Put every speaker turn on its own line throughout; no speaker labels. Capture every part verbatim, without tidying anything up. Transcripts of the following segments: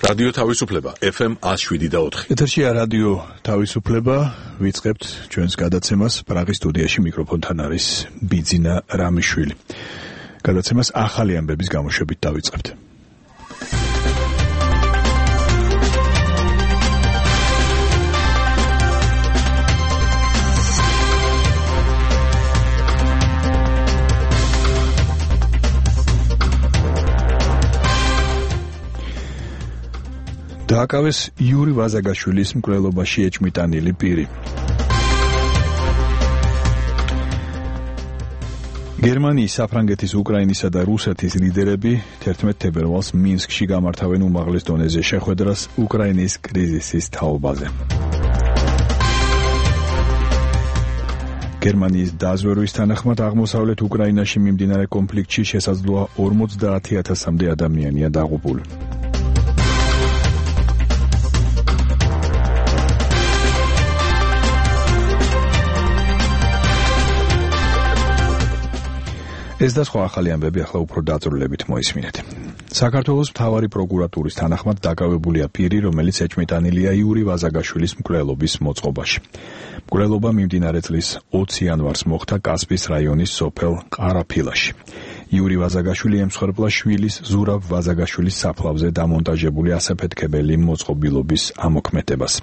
რადიო თავისუფლება ეფ ემ one oh seven და four.
ეთერშია რადიო თავისუფლება, ვიწყებთ ჩვენს გადაცემას. პრაღის სტუდიაში მიკროფონთან არის ბიძინა რამიშვილი. გადაცემას ახალი ამბების გამოშვებით დავიწყებთ. დააკავეს იური ვაზაგაშვილის მკვლელობაში ეჭმიტანილი პირი. გერმანიის, საფრანგეთის, უკრაინისა და რუსეთის ლიდერები თერთმეტ თებერვალს მინსკში გამართავენ უმაღლეს დონეზე შეხვედრას უკრაინის კრიზისის თაობაზე. გერმანიის დაზვერვის თანახმად აღმოსავლეთ უკრაინაში მიმდინარე კონფლიქტში შესაძლოა ორმოცდაათი ათასამდე ადამიანია დაღუპული. ეს და სხვა ახალი ამბები ახლა უფრო დაწვრილებით მოისმინეთ. საქართველოს მთავარი პროკურატურის თანახმად დაკავებულია პირი, რომელიც ეჭმიტანილია იური ვაზაგაშვილის მკვლელობის მოწყობაში. მკვლელობა მიმდინარე წლის ოცი იანვარს მოხდა კასპის რაიონის სოფელ ყარაფილაში. იური ვაზაგაშვილი ემსხვერპლა შვილის ზურაბ ვაზაგაშვილის საფლავზე დამონტაჟებული ასაფეთქებელი მოწყობილობის ამოქმედებას.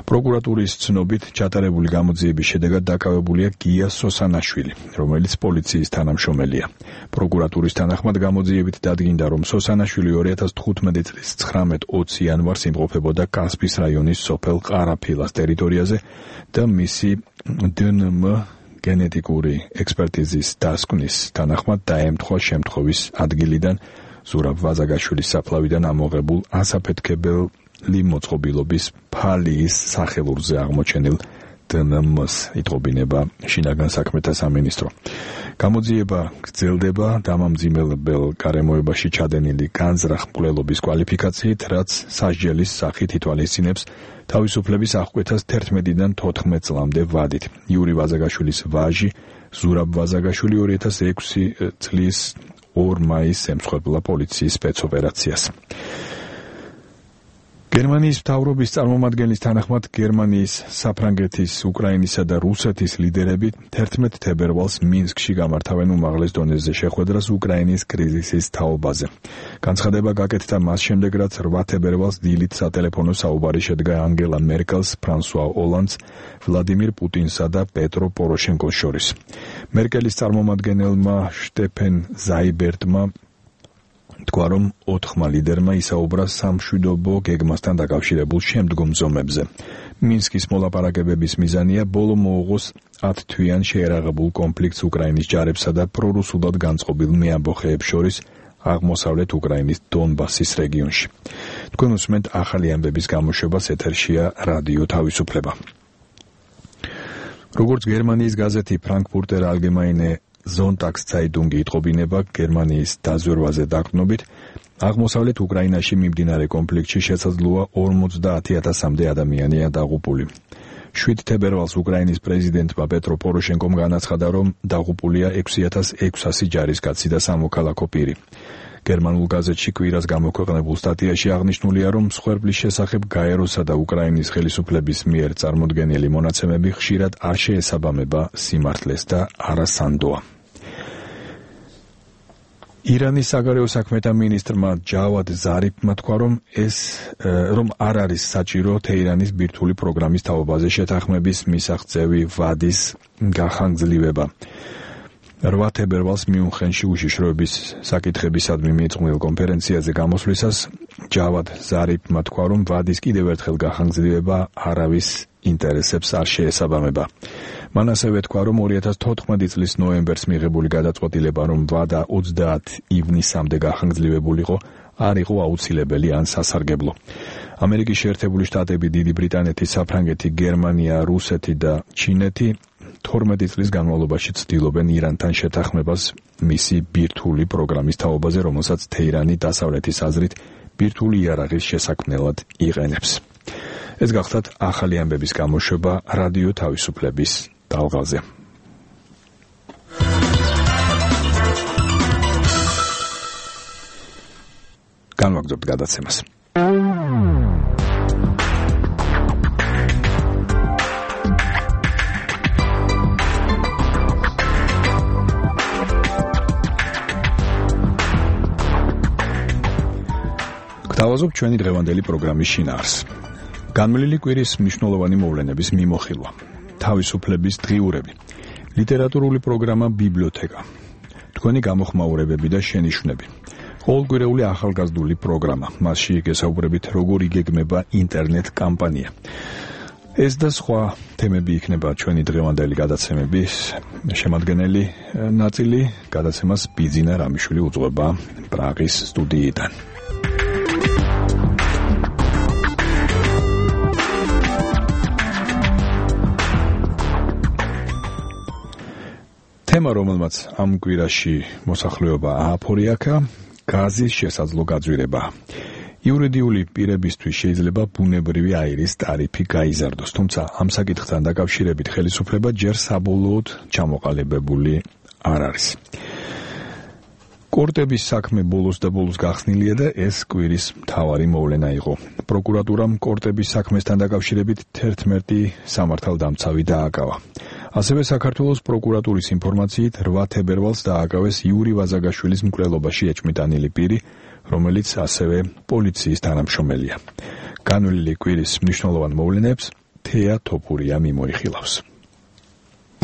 პროკურატურის ცნობით ჩატარებული გამოძიების შედეგად დაკავებულია გია სოსანაშვილი, რომელიც პოლიციის თანამშრომელია. პროკურატურის თანახმად გამოძიებით დადგინდა, რომ სოსანაშვილი ორი ათას თხუთმეტი წლის ცხრამეტ ოცი იანვარს იმყოფებოდა კასპის რაიონის სოფელ ყარაფილას ტერიტორიაზე და მისი დე ენ ემ გენეტიკური ექსპერტიზის დასკვნის თანახმად დაემთხვა შემთხვევის ადგილიდან ზურაბ ვაზაგაშვილის საფლავიდან ამოღებულ ასაფეთქებელი მოწყობილობის ფალიის სახელურზე აღმოჩენილ დე ენ ემ-ს, იტყობინება შინაგან საქმეთა სამინისტრო. გამოძიება გრძელდება დამამძიმებელ გარემოებაში ჩადენილი განზრახ მკვლელობის კვალიფიკაციით, რაც სასჯელის სახით ითვალისწინებს თავისუფლების აღკვეთას თერთმეტიდან თოთხმეტ წლამდე ვადით. იური ვაზაგაშვილის ვაჟი ზურაბ ვაზაგაშვილი ორი ათას ექვსი წლის ორ მაისს ემსხვერპლა პოლიციის სპეცოპერაციას. გერმანიის მთავრობის წარმომადგენლის თანახმად გერმანიის, საფრანგეთის, უკრაინისა და რუსეთის ლიდერები თერთმეტ თებერვალს მინსკში გამართავენ უმაღლეს დონეზე შეხვედრას უკრაინის კრიზისის თაობაზე. განცხადება გაკეთდა მას შემდეგ, რაც რვა თებერვალს დილით სატელეფონო საუბარი შედგა ანგელა მერკელს, ფრანსუა ოლანდს, ვლადიმირ პუტინსა და პეტრო პოროშენკოს შორის. მერკელის წარმომადგენელმა შტეფენ ზაიბერტმა თქვა, რომ ოთხმა ლიდერმა ისაუბრა სამშვიდობო გეგმასთან დაკავშირებულ შემდგომ ზომებზე. მინსკის მოლაპარაკებების მიზანია ბოლო მოუღოს ათთვიან შეერაღებულ კონფლიქტს უკრაინის ჯარებსა და პრორუსულად განწყობილ მეამბოხეებს შორის აღმოსავლეთ უკრაინის დონბასის რეგიონში. თქვენ უსმენთ ახალი ამბების გამოშვებას, ეთერშია რადიო თავისუფლება. როგორც გერმანიის გაზეთი ფრანკფურტერ ალგემაინე ზონტაგს ცაიტუნგი იტყობინება, გერმანიის დაზვერვაზე დაყრდნობით, აღმოსავლეთ უკრაინაში მიმდინარე კონფლიქტში შესაძლოა ორმოცდაათი ათასამდე ადამიანია დაღუპული. შვიდ თებერვალს უკრაინის პრეზიდენტმა პეტრო პოროშენკომ განაცხადა, რომ დაღუპულია ექვსი ათას ექვსასი ჯარისკაცი და სამოქალაქო პირი. გერმანულ გაზეთში კვირას გამოქვეყნებულ სტატიაში აღნიშნულია, რომ მსხვერპლის შესახებ გაეროსა და უკრაინის ხელისუფლების მიერ წარმოდგენილი მონაცემები ხშირად არ შეესაბამება სიმართლეს და არასანდოა. ირანის საგარეო საქმეთა მინისტრმა ჯავად ზარიფმა თქვა, რომ ეს რომ არ არის საჭირო თეირანის ბირთვული პროგრამის თაობაზე შეთანხმების მისაღწევი ვადის გახანგრძლივება. რვა თებერვალს მიუნხენში უშიშროების საკითხებისადმი მიწყვნილ კონფერენციაზე გამოსვლისას ჯავად ზარიფმა თქვა, რომ ვადის კიდევ ერთხელ გახანგრძლივება არავის ინტერესებს არ შეესაბამება. მან ასევე თქვა, რომ ორი ათას თოთხმეტი წლის ნოემბერს მიღებული გადაწყვეტილება, რომ ვადა ოცდაათ ივნისამდე გახანგრძლივებულიყო, არ იყო აუცილებელი ან სასარგებლო. ამერიკის შეერთებული შტატები, დიდი ბრიტანეთი, საფრანგეთი, გერმანია, რუსეთი და ჩინეთი თორმეტი წლის განმავლობაში ცდილობენ ირანთან შეთანხმებას მისი ბირთვული პროგრამის თაობაზე, რომელსაც თეირანი დასავლეთის აზრით ბირთვული იარაღის შესაქმნელად იყენებს. ეს გახლავთ ახალი ამბების გამოშვება რადიო თავისუფლების ტალღაზე. განვაგრძობთ გადაცემას. გთავაზობ ჩვენი დღევანდელი პროგრამის შინაარსს. განვლილი კვირის მნიშვნელოვანი მოვლენების მიმოხილვა, თავისუფლების დღიურები, ლიტერატურული პროგრამა ბიბლიოთეკა, თქვენი გამოხმაურებები და შენიშვნები, ყოველკვირეული ახალგაზრდული პროგრამა, მასში გესაუბრებით როგორ იგეგმება ინტერნეტ კამპანია. ეს და სხვა თემები იქნება ჩვენი დღევანდელი გადაცემების შემადგენელი ნაწილი. გადაცემას ბიძინა რამიშვილი უძღვება პრაღის სტუდიიდან. თემა, რომელმაც ამ კვირაში მოსახლეობა ააფორიაქა, გაზის შესაძლო გაძვირება. იურიდიული პირებისთვის შეიძლება ბუნებრივი აირის ტარიფი გაიზარდოს, თუმცა ამ საკითხთან დაკავშირებით ხელისუფლება ჯერ საბოლოოდ ჩამოყალიბებული არ არის. კორტების საქმე ბოლოს და ბოლოს გახსნილია და ეს კვირის მთავარი მოვლენა იყო. პროკურატურამ კორტების საქმესთან დაკავშირებით თერთმეტი სამართალდამცავი დააკავა. ასევე საქართველოს პროკურატურის ინფორმაციით რვა თებერვალს დააკავეს იური ვაზაგაშვილის მკვლელობაში ეჭვმიტანილი პირი, რომელიც ასევე პოლიციის თანამშრომელია. განვლილი კვირის მნიშვნელოვან მოვლენებს თეა თოფურია მიმოიხილავს.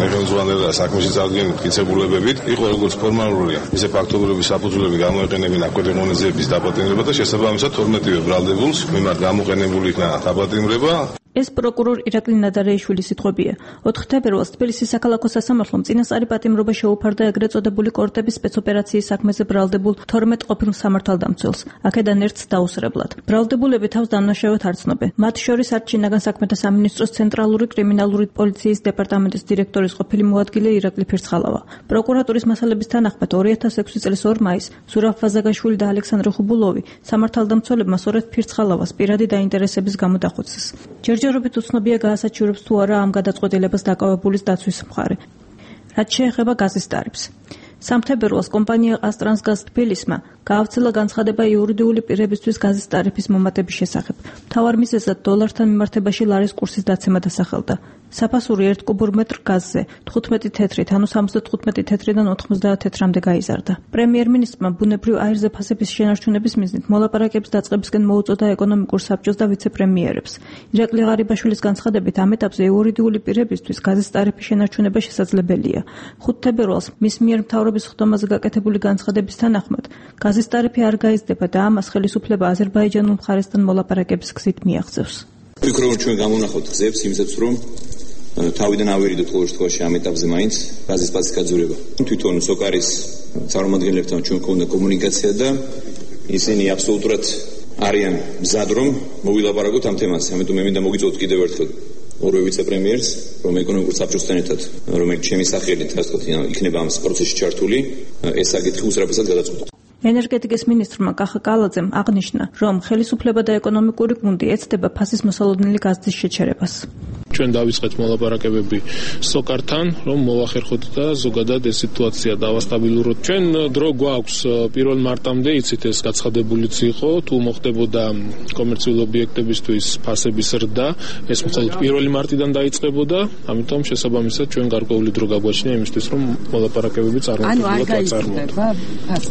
მეგონძვალება საქმეში წარდგენილი მტკიცებულებებით იყო როგორც ფორმალურია, ისე ფაქტობრივი საფუძვლები გამოეყენებინა კვირაღონიზების დაპატიმრება და შესაბამისად თორმეტივე ბრალდებულს მიმართ გამოყენებული იქნა დაპატიმრება.
ეს პროკურორ ირაკლი ნადარეიშვილის სიტყვებია. ოთხ თებერვალს თბილისის საკალათო სასამართლომ წინასწარი პატიმრობა შეუფარდა ეგრეთ წოდებული კორტების სპეცოპერაციის საქმეზე ბრალდებულ თორმეტ ყოფილ სამართალდამცველს, აქედან ერთს დაუსრებლად. ბრალდებულები თავს დამნაშავედ არ ცნობენ. მათ შორის არც შინაგან საქმეთა სამინისტროს ცენტრალური კრიმინალური პოლიციის დეპარტამენტის დირექტორის ყოფილი მოადგილე ირაკლი ფირცხალავა. პროკურატურის მასალების თანახმად ორი ათას ექვსი წლის ორ მაისს ზურაბ ვაზაგაშვილი და ალექსანდრე ხუბულოვი სამართალდამცველებმა სწორედ ფირცხალავას პირადი დაინტერესების გამო დახოცეს. ჯერჯერობით უცნობია გაასაჩივრებს თუ არა ამ გადაწყვეტილებას დაკავებულის დაცვის მხარე. რაც შეეხება გაზის ტარიფს. სამ თებერვალს კომპანია ყაზტრანსგაზ თბილისმა გაავრცელა განცხადება იურიდიული პირებისთვის გაზის ტარიფის მომატების შესახებ. მთავარ მიზეზად დოლართან მიმართებაში ლარის კურსის დაცემა დასახელდა. საფასური ერთ კუბურ მეტრ გაზზე თხუთმეტი თეთრით, ანუ სამოცდათხუთმეტი თეთრიდან ოთხმოცდაათ თეთრამდე გაიზარდა. პრემიერ-მინისტრმა ბუნებრივ აირზე ფასების შენარჩუნების მიზნით მოლაპარაკების დაწყებისკენ მოუწოდა ეკონომიკურ საბჭოს და ვიცე-პრემიერებს. ირაკლი ღარიბაშვილის განცხადებით ამ ეტაპზე იურიდიული პირებისთვის გაზის ტარიფის შენარჩუნება შესაძლებელია. ხუთ თებერვალს მის მიერ მთავრობის ხდომაზე გაკეთებული განცხადების თანახმად გაზის ტარიფი არ გაიზრდება და ამას ხელისუფლება აზერბაიჯანულ მხარესთან მოლაპარაკების გზით მიაღწევს.
ვფიქრობ, ჩვენ გამონახოთ გზებს იმისათვის, რომ თავიდან ავერიდოთ ყოველ შემთხვევაში ამ ეტაპზე მაინც გაზის პასის გაძვირება. თვითონ სოკარის წარმომადგენლებთან ჩვენ გვქონდა კომუნიკაცია და ისინი აბსოლუტურად არიან მზად, რომ მოვილაპარაკოთ ამ თემაზე. ამიტომ მე მინდა მოგიწოდოთ კიდევ ერთხელ ორივე ვიცე-პრემიერს, რომ ეკონომიკურ საბჭოსთან ერთად, რომელიც ჩემი სახელით, ასე ვთქვათ, იქნება ამ პროცესში ჩართული, ეს საკითხი უსწრაფად გადაწყვეტა.
ენერგეტიკის მინისტრმა კახა კალაძემ აღნიშნა, რომ ხელისუფლება და ეკონომიკური გუნდი ეცდება ფასის მოსალოდნელი გაზის შეჩერებას.
ჩვენ დავიწყეთ მოლაპარაკებები სოკართან, რომ მოვახერხოთ და ზოგადად ეს სიტუაცია დავასტაბილუროთ. ჩვენ დრო გვაქვს პირველ მარტამდე, იცით ეს გაცხადებულიც იყო, თუ მოხდებოდა კომერციული ობიექტებისთვის ფასების ზრდა, ეს მხოლოდ პირველი მარტიდან დაიწყებოდა, ამიტომ შესაბამისად ჩვენ გარკვეული დრო გაგვაჩნია იმისთვის, რომ მოლაპარაკებები წარმატებულად ვაწარმოოთ.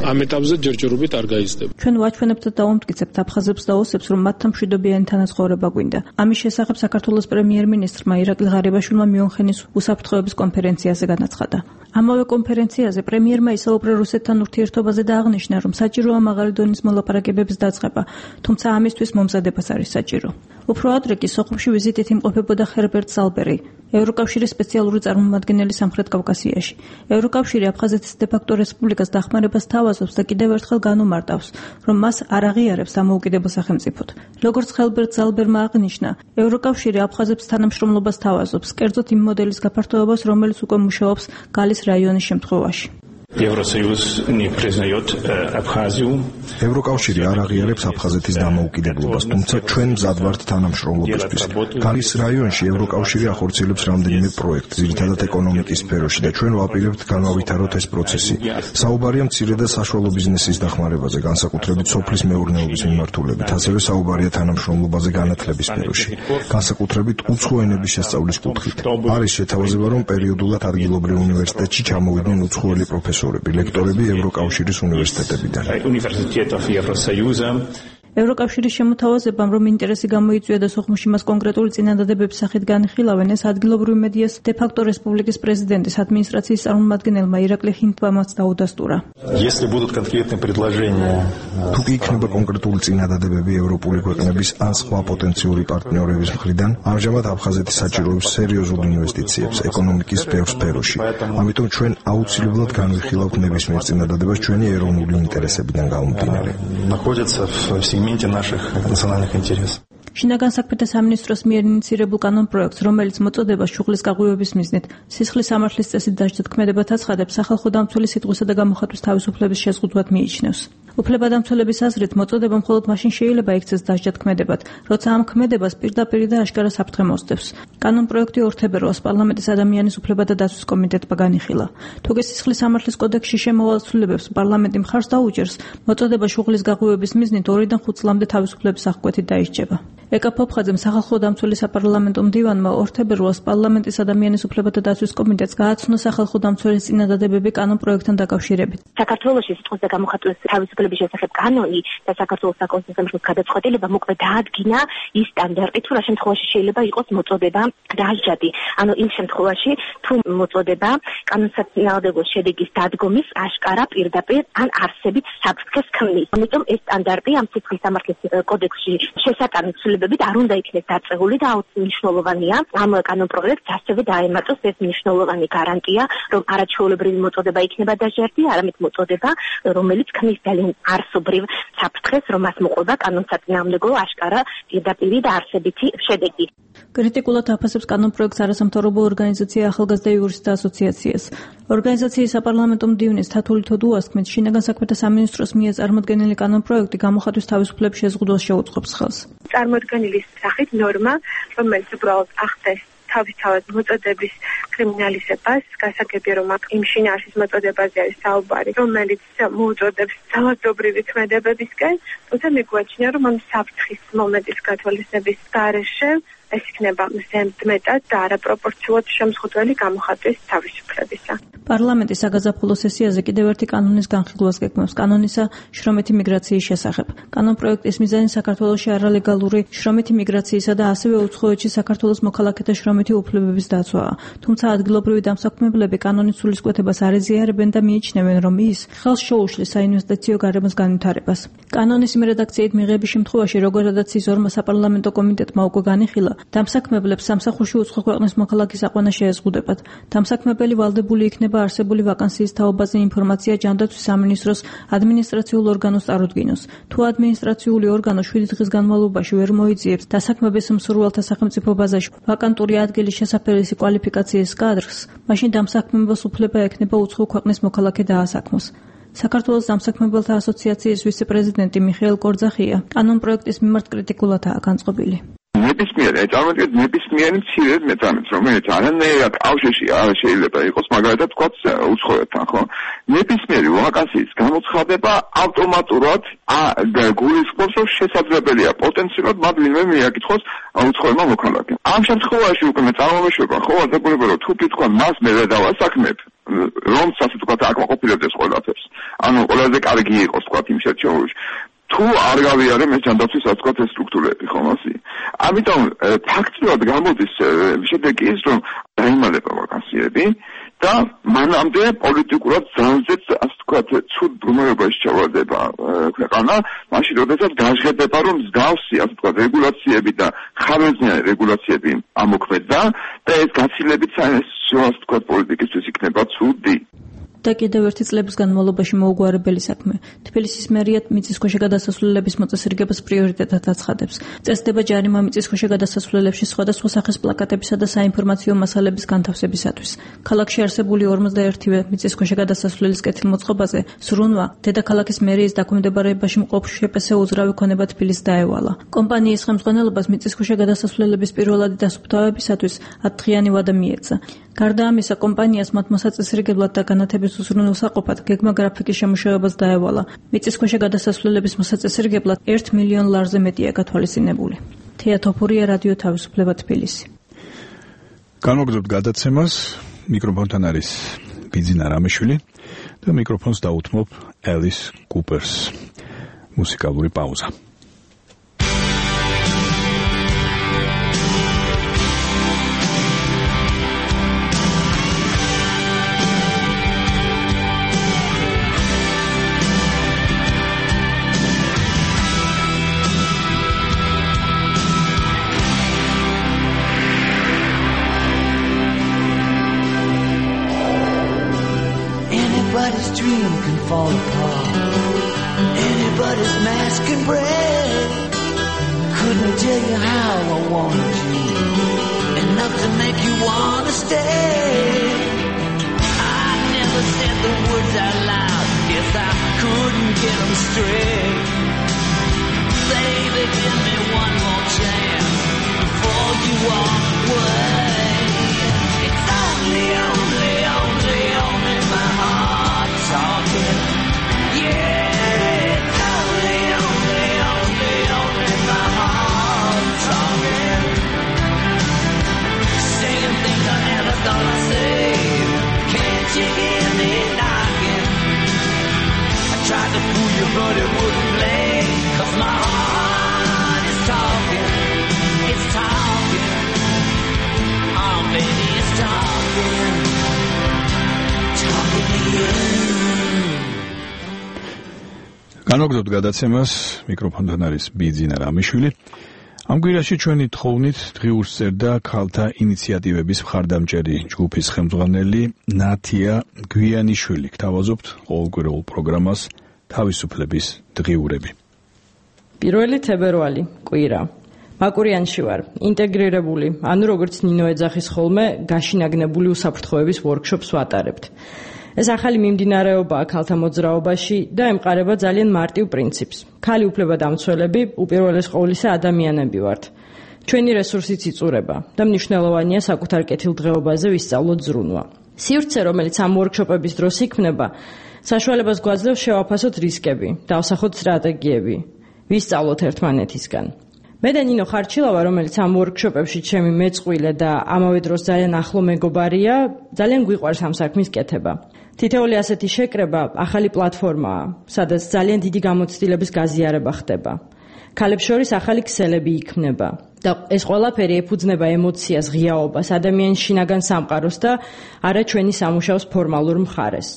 ამ ეტაპზე ჯერჯერობით არ გაიზრდება.
ჩვენ ვაჩვენებთ და დავამტკიცებთ აფხაზებს და ოსებს, რომ მათთან მშვიდობიანი თანაცხოვრება გვინდა. ამის შესახებ საქართველოს პრემიერ-მინისტრმა ირაკლი ღარიბაშვილმა მიუნხენის უსაფრთხოების კონფერენციაზე განაცხადა. ამავე კონფერენციაზე პრემიერმა ისაუბრა რუსეთთან ურთიერთობაზე და აღნიშნა, რომ საჭიროა მაღალი დონის მოლაპარაკებების დაწყება, თუმცა ამისთვის მომზადებას არის საჭირო. უფრო ადრე კი სოხუმში ვიზიტით იმყოფებოდა ჰერბერტ ზალბერი, ევროკავშირის სპეციალური წარმომადგენელი სამხრეთ კავკასიაში. ევროკავშირი აფხაზეთის დე-ფაქტო რესპუბლიკას დახმარებას თავაზობს და კიდევ ერთხელ განუმარტავს, რომ მას არ აღიარებს დამოუკიდებელ სახელმწიფოდ. როგორც ჰერბერტ ზალბერმა აღნიშნა, ევროკავშირი აფხაზებს თანამშრომლობას თავაზობს, კერძოდ იმ მოდელის გაფართოებას, რომელიც უკვე მუშაობს გალის რაიონის შემთხვევაში.
Евросоюз не признает Абхазию.
ევროკავშირი არ აღიარებს აფხაზეთის დამოუკიდებლობას, თუმცა ჩვენ მზად ვართ თანამშრომლობისთვის. გალის რაიონში ევროკავშირი ახორციელებს რამდენიმე პროექტს, ძირითადად ეკონომიკის სფეროში და ჩვენ ვაპირებთ განავითაროთ ეს პროცესი. საუბარია მცირე და საშუალო ბიზნესის დახმარებაზე, განსაკუთრებით სოფლის მეურნეობის მიმართულებით, ასევე საუბარია თანამშრომლობაზე განათლების სფეროში, განსაკუთრებით უცხო ენების შესწავლის კუთხით. არის შეთავაზება, რომ პერიოდულად ადგილობრივ უნივერსიტეტში ჩამოვიდნენ უცხოელი პროფესორები, ლექტორები ევროკავშირის უნივერსიტეტებიდან.
ევროკავშირის შემოთავაზებამ, რომ ინტერესი გამოიწვია და სოხუმში მას კონკრეტული წინადადებების სახით განიხილავენ, ეს ადგილობრივ მედიას დე-ფაქტო რესპუბლიკის პრეზიდენტის ადმინისტრაციის წარმომადგენელმა ირაკლი ხინტბამაც დაუდასტურა.
თუ კი იქნება კონკრეტული წინადადებები ევროპული ქვეყნების ან სხვა პოტენციური პარტნიორების მხრიდან, ამჟამად აფხაზეთი საჭიროებს სერიოზულ ინვესტიციებს ეკონომიკის ბევრ სფეროში. ამიტომ ჩვენ აუცილებლად განვიხილავთ ნებისმიერ წინადადებას ჩვენი ეროვნული ინტერესებიდან გამომდინარე.
შინაგან საქმეთა სამინისტროს მიერ ინიცირებულ კანონპროექტს, რომელიც მოწოდებას შუღლის გაღვივების მიზნით სისხლის სამართლის წესით დასჯა თქმედებად აცხადებს, სახალხო დამცველი სიტყვისა და გამოხატვის თავისუფლების შეზღუდვად მიიჩნევს. უფლებადამცველების აზრით, მოწოდება მხოლოდ მაშინ შეიძლება იქცეს დასჯა თქმედებად, როცა ამ ქმედებას პირდაპირ და აშკარა საფრთხე მოსდევს. კანონპროექტი ორ თებერვალს პარლამენტის ადამიანის უფლებათა დაცვის კომიტეტმა განიხილა. თუ კი სისხლის სამართლის კოდექსში შემოვალ ცვლილებებს პარლამენტი მხარს დაუჭერს, მოწოდება შუღლის გაღვივების მიზნით ორიდან ხუთ წლამდე თავისუფლების აღკვეთით დაისჯება. ეკა ფოფხაძემ სახალხო დამცველი საპარლამენტო მდივანმა ორ თებერვალს პარლამენტის ადამიანის უფლებათა დაცვის კომიტეტს გააცნო სახალხო დამცველის წინადადებები კანონპროექტთან დაკავშირებით.
საქართველოში სიტყვის და გამოხატვის თავისუფლების შესახებ კანონი და საქართველოს საკონსტიტუციო გადაწყვეტილება მოკლედ დაადგინა ის სტანდარტი, თუ რა შემთხვევაში შეიძლება იყოს მოწოდება დასჯადი. ანუ იმ შემთხვევაში, თუ მოწოდება კანონსაწინააღმდეგო შედეგის დადგომის აშკარა პირდაპირ ან არსებით საფრთხეს ქმნის. ამიტომ ეს სტანდარტი ამ სიტყვის სამართლის კოდექსში შესატანით ცვლილებებით არ უნდა იქნეს დაწეული და მნიშვნელოვანია ამ კანონპროექტს ასევე დაემატოს ეს მნიშვნელოვანი გარანტია, რომ არაჩვეულებრივი მოწოდება იქნება დასჯადი, არამედ მოწოდება, რომელიც ქმნის ძალიან არსობრივ საფრთხეს, რომ მას მოყვება კანონსაწინააღმდეგო აშკარა პირდაპირი და არსებითი შედეგი.
კრიტიკულად აფასებს კანონპროექტს არასამთავრობო ორგანიზაცია ახალგაზრდა იურისტთა ასოციაციას. ორგანიზაციის საპარლამენტო მდივნის თათული თოდუას თქმით, შინაგან საქმეთა სამინისტროს მიერ წარმოდგენილი კანონპროექტი გამოხატვის თავისუფლების შეზღუდვას შეუწყობს ხელს.
წარმოდგენილი სახით ნორმა, რომელიც უბრალოდ ახდენს თავისთავად მოწოდების კრიმინალიზებას, გასაგებია, რომ აქ იმ შინაარსის მოწოდებაზე არის საუბარი, რომელიც მოუწოდებს ძალადობრივი ქმედებებისკენ, თუმცა მიგვაჩნია, რომ ამ საფრთხის მომენტის გათვალისწინების გარეშე ეს იქნება ზემდმეტად და არაპროპორციულად შემზღუდველი გამოხატვის თავისუფლებისა.
პარლამენტი საგაზაფხულო სესიაზე კიდევ ერთი კანონის განხილვას გეგმავს, კანონისა შრომითი მიგრაციის შესახებ. კანონპროექტის მიზანი საქართველოში არალეგალური შრომითი მიგრაციისა და ასევე უცხოეთში საქართველოს მოქალაქეთა შრომითი უფლებების დაცვაა. თუმცა ადგილობრივი დამსაქმებლები კანონის სულისკვეთებას არ ეზიარებენ და მიიჩნევენ, რომ ის ხელს შეუშლის საინვესტიციო გარემოს განვითარებას. კანონის იმ რედაქციით მიღების შემთხვევაში, როგორადაც ის ორმა საპარლამენტო კომიტეტმა უკვე განიხილა, დამსაქმებლებს სამსახურში უცხო ქვეყნის მოქალაქის აყვანა შეეზღუდებათ. დამსაქმებელი ვალდებული იქნება არსებული ვაკანსიის თაობაზე ინფორმაცია ჯანდაცვის სამინისტროს ადმინისტრაციულ ორგანოს წარუდგინოს. თუ ადმინისტრაციული ორგანო შვიდი დღის განმავლობაში ვერ მოიძიებს დასაქმების მსურველთა სახელმწიფო ბაზაში ვაკანტური ადგილის შესაფერისი კვალიფიკაციის კადრს, მაშინ დამსაქმებელს უფლება ექნება უცხო ქვეყნის მოქალაქე დაასაქმოს. საქართველოს დამსაქმებელთა ასოციაციის ვიცე-პრეზიდენტი მიხეილ კორძახია კანონპროექტის მიმართ კრიტიკულადაა განწყობილი.
ნებისმიერი, წარმოგიდგენთ, ნებისმიერი მცირე მეწამეთ, რომელიც არანაირად კავშირში არ შეიძლება იყოს, მაგალითად თქვა უცხოეთთან, ხო? ნებისმიერი ვაკანსიის გამოცხადება ავტომატურად გულისხმობს, რომ შესაძლებელია პოტენციურად მათ ვინმე მიაკითხოს უცხოელმა მოქალაქემ. ამ შემთხვევაში უკვე მე წარმომეშვება, ხო, აძებულება, რომ თუ კითხვა მას მე დავასაქმებ, რომ ასე თქვათ აკმაყოფილებდეს ყველაფერს. ანუ ყველაზე კარგი იყოს თქვათ იმ შეჩეულში. თუ არ გავიარებ ეს ჯანდაცვის ასკოთ ეს სტრუქტურები, ხომ ასე? ამიტომ ფაქტიურად გამოდის შედეგი ის, რომ დაიმალება ვაკანსიები და მანამდე პოლიტიკურად ძალზეც ასე თქვათ ცუდ მდგომარეობაში ჩავარდება ქვეყანა, მაშინ როდესაც გაჟღერდება, რომ მსგავსი ასე თქვათ რეგულაციები და ხარვეზნიანი რეგულაციები ამოქმედდა და ეს გაცილებით საინვესტიციო ასე თქვათ პოლიტიკისთვის იქნება ცუდი.
და კიდევ ერთი წლების განმავლობაში მოუგვარებელი საქმე. თბილისის მერიად მიწისქვეშა გადასასვლელების მოწესრიგებას პრიორიტეტად აცხადებს. წესდება ჯარიმა მიწისქვეშა გადასასვლელებში სხვადასხვა სახის პლაკატებისა და საინფორმაციო მასალების განთავსებისათვის. ქალაქში არსებული ორმოცდაერთივე მიწისქვეშა გადასასვლელის კეთილმოწყობაზე ზრუნვა დედაქალაქის მერიის დაქვემდებარებაში მყოფ შპს უძრავი ქონება თბილისს დაევალა. კომპანიის ხელმძღვანელობას მიწისქვეშა გადასასვლელების პირველადი დასუფთავებისათვის ათდღიანი ვადა მიეცა. გარდა ამისა, კომპანიას მათ მოსაწესრიგებლად და განათების უზრუნველსაყოფად გეგმა გრაფიკის შემუშავებას დაევალა. მიწისქვეშა გადასასვლელების მოსაწესრიგებლად ერთ მილიონ ლარზე მეტია გათვალისწინებული. თეა თოფურია, რადიო თავისუფლება, თბილისი.
განვაგრძობთ გადაცემას, მიკროფონთან არის ბიძინა რამიშვილი და მიკროფონს დაუთმობ ელის კუპერს. მუსიკალური პაუზა.
Anybody's dream can fall apart. Anybody's mask can break. Couldn't tell you how I wanted you, enough to make you wanna stay. I never said the words out loud, guess I couldn't get them straight. Baby, give me one more chance before you walk away. It's only, only, only, only my heart talking. Yeah, it's only, only, only, only my heart talking. Saying things I never thought I'd say. Can't you hear me knocking? I tried to fool you, but it wouldn't play. 'Cause my heart is talking. It's talking. Oh, baby, it's talking. Talking to you.
განვაგრძობთ გადაცემას, მიკროფონთან არის ბიძინა რამიშვილი. ამ კვირაში ჩვენი თხოვნით დღიურს წერდა ქალთა ინიციატივების მხარდამჭერი ჯგუფის ხელმძღვანელი ნათია გვიანიშვილი. გთავაზობთ ყოველკვირეულ პროგრამას თავისუფლების დღიურები.
პირველი თებერვალი, კვირა. მაკურიანში ვარ, ინტეგრირებული, ანუ როგორც ნინო ეძახის ხოლმე, გაშინაგნებული უსაფრთხოების ვორქშოპს ვატარებთ. ეს ახალი მიმდინარეობაა ქალთა მოძრაობაში და ემყარება ძალიან მარტივ პრინციპს. ქალი უფლებადამცველები უპირველეს ყოვლისა ადამიანები ვართ. ჩვენი რესურსიც იწურება და მნიშვნელოვანია საკუთარ კეთილდღეობაზე ვისწავლოთ ზრუნვა. სივრცე, რომელიც ამ ვორქშოპების დროს იქმნება, საშუალებას გვაძლევს შევაფასოთ რისკები, დავსახოთ სტრატეგიები, ვისწავლოთ ერთმანეთისგან. მე და ნინო ხარჩილავა, რომელიც ამ ვორქშოპებში ჩემი მეწყვილე და ამავე დროს ძალიან ახლო მეგობარია, ძალიან გვიყვარს ამ საქმის კეთება. თითოეული ასეთი შეკრება ახალი პლატფორმაა, სადაც ძალიან დიდი გამოცდილების გაზიარება ხდება. ქალებს შორის ახალი ქსელები იქმნება და ეს ყველაფერი ეფუძნება ემოციას, ღიაობას, ადამიანის შინაგან სამყაროს და არა ჩვენი სამუშაოს ფორმალურ მხარეს.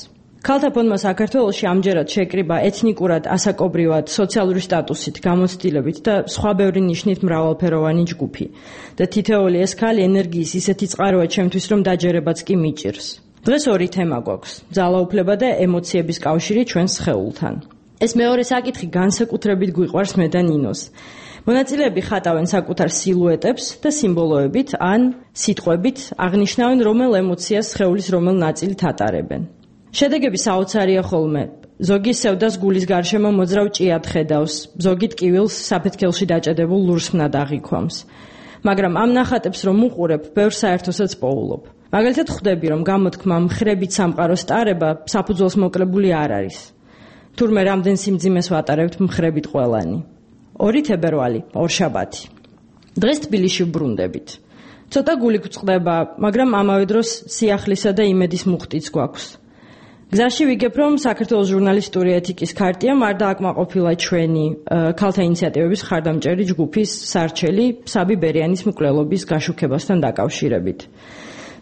ქალთა ფონდმა საქართველოში ამჯერად შეკრიბა ეთნიკურად, ასაკობრივად, სოციალური სტატუსით, გამოცდილებით და სხვა ბევრი ნიშნით მრავალფეროვანი ჯგუფი. და თითოეული ეს ქალი ენერგიის ისეთი წყაროა ჩემთვის, რომ დაჯერებაც კი მიჭირს. დღეს ორი თემა გვაქვს: ძალაუფლება და ემოციების კავშირი ჩვენს სხეულთან. ეს მეორე საკითხი განსაკუთრებით გვიყვარს მე და ნინოს. მონაწილეები ხატავენ საკუთარ სილუეტებს და სიმბოლოებით ან სიტყვებით აღნიშნავენ რომელ ემოციას სხეულის რომელ ნაწილით ატარებენ. შედეგები საოცარია ხოლმე. ზოგი სევდას გულის გარშემო მოძრავ ჭიად ხედავს, ზოგი ტკივილს საფეთქელში დაჭედებულ ლურსმნად აღიქვამს. მაგრამ ამ ნახატებს რომ უყურებ, ბევრ საერთოსაც პოულობ. მაგალითად ხვდები, რომ გამოთქმა მხრებით სამყაროს ტარება საფუძველს მოკლებული არ არის. თურმე რამდენ სიმძიმეს ვატარებთ მხრებით ყველანი. ორი თებერვალი, ორშაბათი. დღეს თბილისში ვბრუნდებით. ცოტა გული გვწყდება, მაგრამ ამავე დროს სიახლისა და იმედის მუხტიც გვაქვს. გზაში ვიგებ, რომ საქართველოს ჟურნალისტური ეთიკის ქარტია არ დააკმაყოფილა ჩვენი ქალთა ინიციატივების მხარდამჭერი ჯგუფის სარჩელი საბი ბერიანის მკვლელობის გაშუქებასთან დაკავშირებით.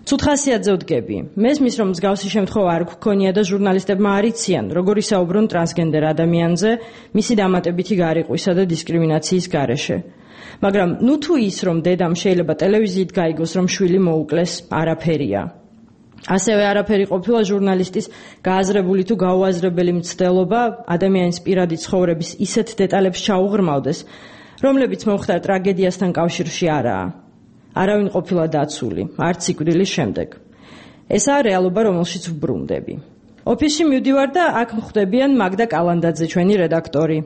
ცუთხასიათზე ვდგები. მესმის, რომ მსგავსი შემთხვევა არ გვქონია და ჟურნალისტებმა არ იციან, როგორ ისაუბრონ ტრანსგენდერ ადამიანზე, მისი დამატებითი გარიყვისა და დისკრიმინაციის გარეშე. მაგრამ ნუ თუ ის, რომ დედამ შეიძლება ტელევიზიით გაიგოს, რომ შვილი მოუკლეს, არაფერია. ასევე არაფერი ყოფილა ჟურნალისტის გააზრებული თუ გაუაზრებელი მცდელობა ადამიანის პირადი ცხოვრების ისეთ დეტალებს ჩაუღრმავდეს, რომლებიც მომხდარ ტრაგედიასთან კავშირში არაა. არავინ ყოფილა დაცული, არც სიკვდილის შემდეგ. ესაა რეალობა, რომელშიც ვბრუნდები. ოფისში მივდივარ და აქ მხვდებიან მაგდა კალანდაძე, ჩვენი რედაქტორი,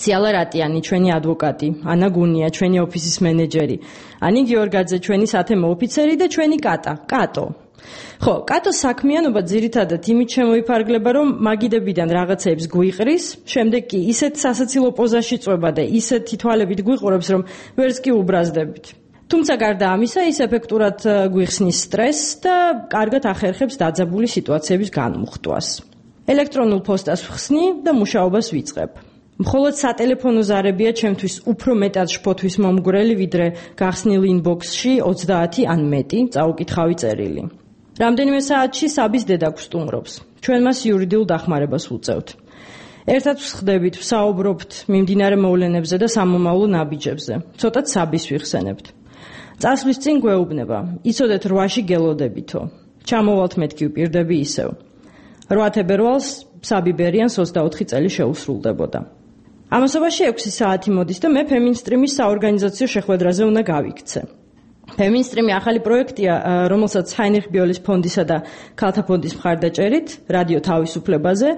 ციალა რატიანი, ჩვენი ადვოკატი, ანა გუნია, ჩვენი ოფისის მენეჯერი, ანი გიორგაძე, ჩვენი სათემო ოფიცერი და ჩვენი კატა, კატო. ხო, კატოს საქმიანობა ძირითადად იმით შემოიფარგლება, რომ მაგიდებიდან რაღაცეებს გვიყრის, შემდეგ კი ისეთ სასაცილო პოზაში წვება და ისეთი თვალებით გვიყურებს, რომ ვერც კი უბრაზდებით. თუმცა გარდა ამისა, ის ეფექტურად გვიხსნის სტრესს და კარგად ახერხებს დაძაბული სიტუაციების განმუხტვას. ელექტრონულ პოსტას ვხსნი და მუშაობას ვიწყებ. მხოლოდ სატელეფონო ზარებია ჩემთვის უფრო მეტად შფოთვის მომგვრელი, ვიდრე გახსნილ ინბოქსში ოცდაათი ან მეტი წაუკითხავი წერილი. რამდენიმე საათში საბის დედა გვსტუმრობს. ჩვენ მას იურიდიულ დახმარებას ვუწევთ. ერთად ვსხდებით, ვსაუბრობთ მიმდინარე მოვლენებზე და სამომავლო ნაბიჯებზე. ცოტათ საბის ვიხსენებთ. წასვლის წინ გვეუბნება, იცოდეთ რვაში გელოდებითო. ჩამოვალთ მეთქი ვპირდები ისევ. რვა თებერვალს საბიბერიანს ოცდაოთხი წელი შეუსრულდებოდა. ამასობაში ექვსი საათი მოდის და მე ფემინსტრიმის საორგანიზაციო შეხვედრაზე უნდა გავიქცე. ფემინსტრიმი ახალი პროექტია, რომელსაც ჰაინრიხ ბიოლის ფონდისა და ქალთა ფონდის მხარდაჭერით, რადიო თავისუფლებაზე,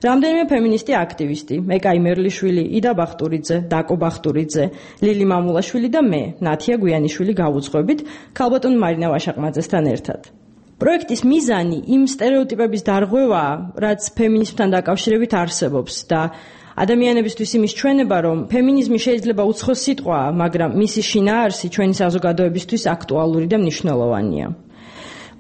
რამდენიმე ფემინისტი აქტივისტი, მეკაი მერლიშვილი, იდა ბახტურიძე, დაკო ბახტურიძე, ლილი მამულაშვილი და მე, ნათია გვიანიშვილი გავუძღვებით ქალბატონ მარინა ვაშაყმაძესთან ერთად. პროექტის მიზანი იმ სტერეოტიპების დარღვევაა, რაც ფემინიზმთან დაკავშირებით არსებობს და ადამიანებისთვის იმის ჩვენება, რომ ფემინიზმი შეიძლება უცხო სიტყვაა, მაგრამ მისი შინაარსი ჩვენი საზოგადოებისთვის აქტუალური და მნიშვნელოვანია.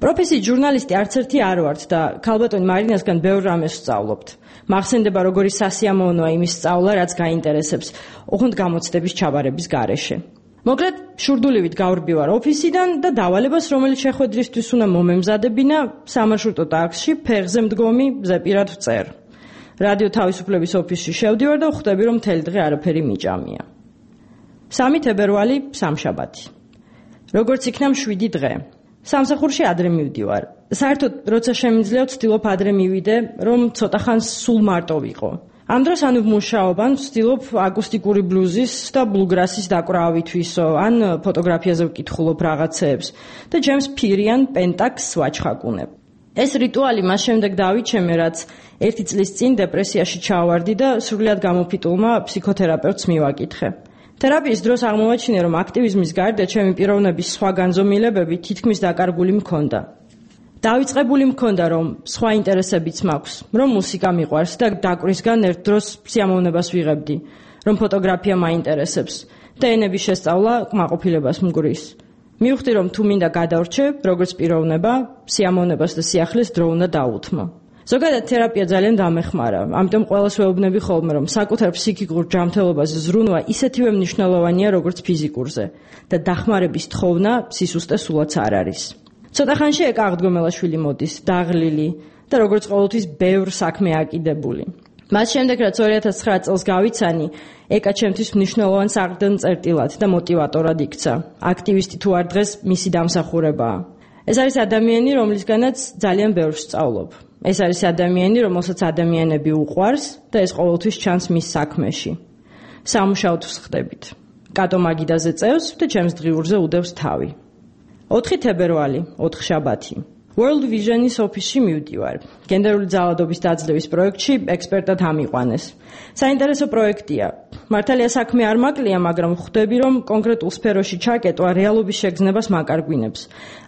პროფესიით ჟურნალისტი არც ერთი არ ვართ და ქალბატონ მარინასგან ბევრ რამეს ვსწავლობთ. მახსენდება როგორი სასიამოვნოა იმის სწავლა, რაც გაინტერესებს, ოღონდ გამოცდების ჩაბარების გარეშე. მოკლედ, შურდულივით გავრბივარ ოფისიდან და დავალებას, რომელიც შეხვედრისთვის უნდა მომემზადებინა, სამარშრუტო ტაქსში, ფეხზე მდგომი, ზეპირად ვწერ. რადიო თავისუფლების ოფისში შევდივარ და ხვდები, რომ მთელი დღე არაფერი მიჭამია. სამი თებერვალი, სამშაბათი. როგორც იქნა მშვიდი დღე. სამსახურში ადრე მივდივარ. საერთოდ, როცა შემიძლია, ვცდილობ ადრე მივიდე, რომ ცოტა ხანს სულ მარტო ვიყო. ამ დროს ანუ ვმუშაობ, ვცდილობ აკუსტიკური ბლუზის და ბლუგრასის დაკვრა ვითვისო, ან ფოტოგრაფიაზე ვკითხულობ რაღაცეებს და ჯემს ფირიან პენტაკს ვაჩხაკუნებ. ეს რიტუალი მას შემდეგ დავიჩემე, რაც ერთი წლის წინ დეპრესიაში ჩავარდი და სრულად გამოფიტულმა ფსიქოთერაპევტს მივაკითხე. თერაპიის დროს აღმოვაჩინე, რომ აქტივიზმის გარდა ჩემი პიროვნების სხვა განზომილებები თითქმის დაკარგული მქონდა. დავიწყებული მქონდა, რომ სხვა ინტერესებიც მაქვს, რომ მუსიკა მიყვარს და დაკვრისგან ერთ დროს სიამოვნებას ვიღებდი, რომ ფოტოგრაფია მაინტერესებს და ენების შესწავლა კმაყოფილებას მგრის. მივხვდი, რომ თუ მინდა გადავრჩე, როგორც პიროვნება, სიამოვნებას და სიახლის დრო უნდა დაუთმო. ზოგადად თერაპია ძალიან დამეხმარა, ამიტომ ყველას ვეუბნები ხოლმე, რომ საკუთარ ფსიქიკურ ჯანმრთელობაზე ზრუნვა ისეთივე მნიშვნელოვანია, როგორც ფიზიკურზე და დახმარების თხოვნა სისუსტე სულაც არ არის. ცოტა ხანში ეკა აღდგომელაშვილი მოდის, დაღლილი და როგორც ყოველთვის ბევრ საქმე აკიდებული. მას შემდეგ, რაც ორი ათას ცხრა წელს გავიცანი, ეკა ჩემთვის მნიშვნელოვან საგდმ-წერტილად და მოტივატორად იქცა. აქტივისტი თუ არ დღეს მისი დამსახურებაა. ეს არის ადამიანი, რომლისგანაც ძალიან ბევრს ვსწავლობ. ეს არის ადამიანი, რომელსაც ადამიანები უყვარს და ეს ყოველთვის ჩანს მის საქმეში. სამუშაოდ ვსხდებით. კატო მაგიდაზე წევს და ჩემს დღიურზე უდევს თავი. ოთხი თებერვალი, ოთხშაბათი. World Vision-ის ოფისში მივდივარ. გენდერული ძალადობის დაძლევის პროექტში ექსპერტად ამიყვანეს. საინტერესო პროექტია. მართალია საქმე არ მაკლია, მაგრამ ხვდები, რომ კონკრეტულ სფეროში ჩაკეტვა რეალობის შეგრძნებას მაკარგვინებს.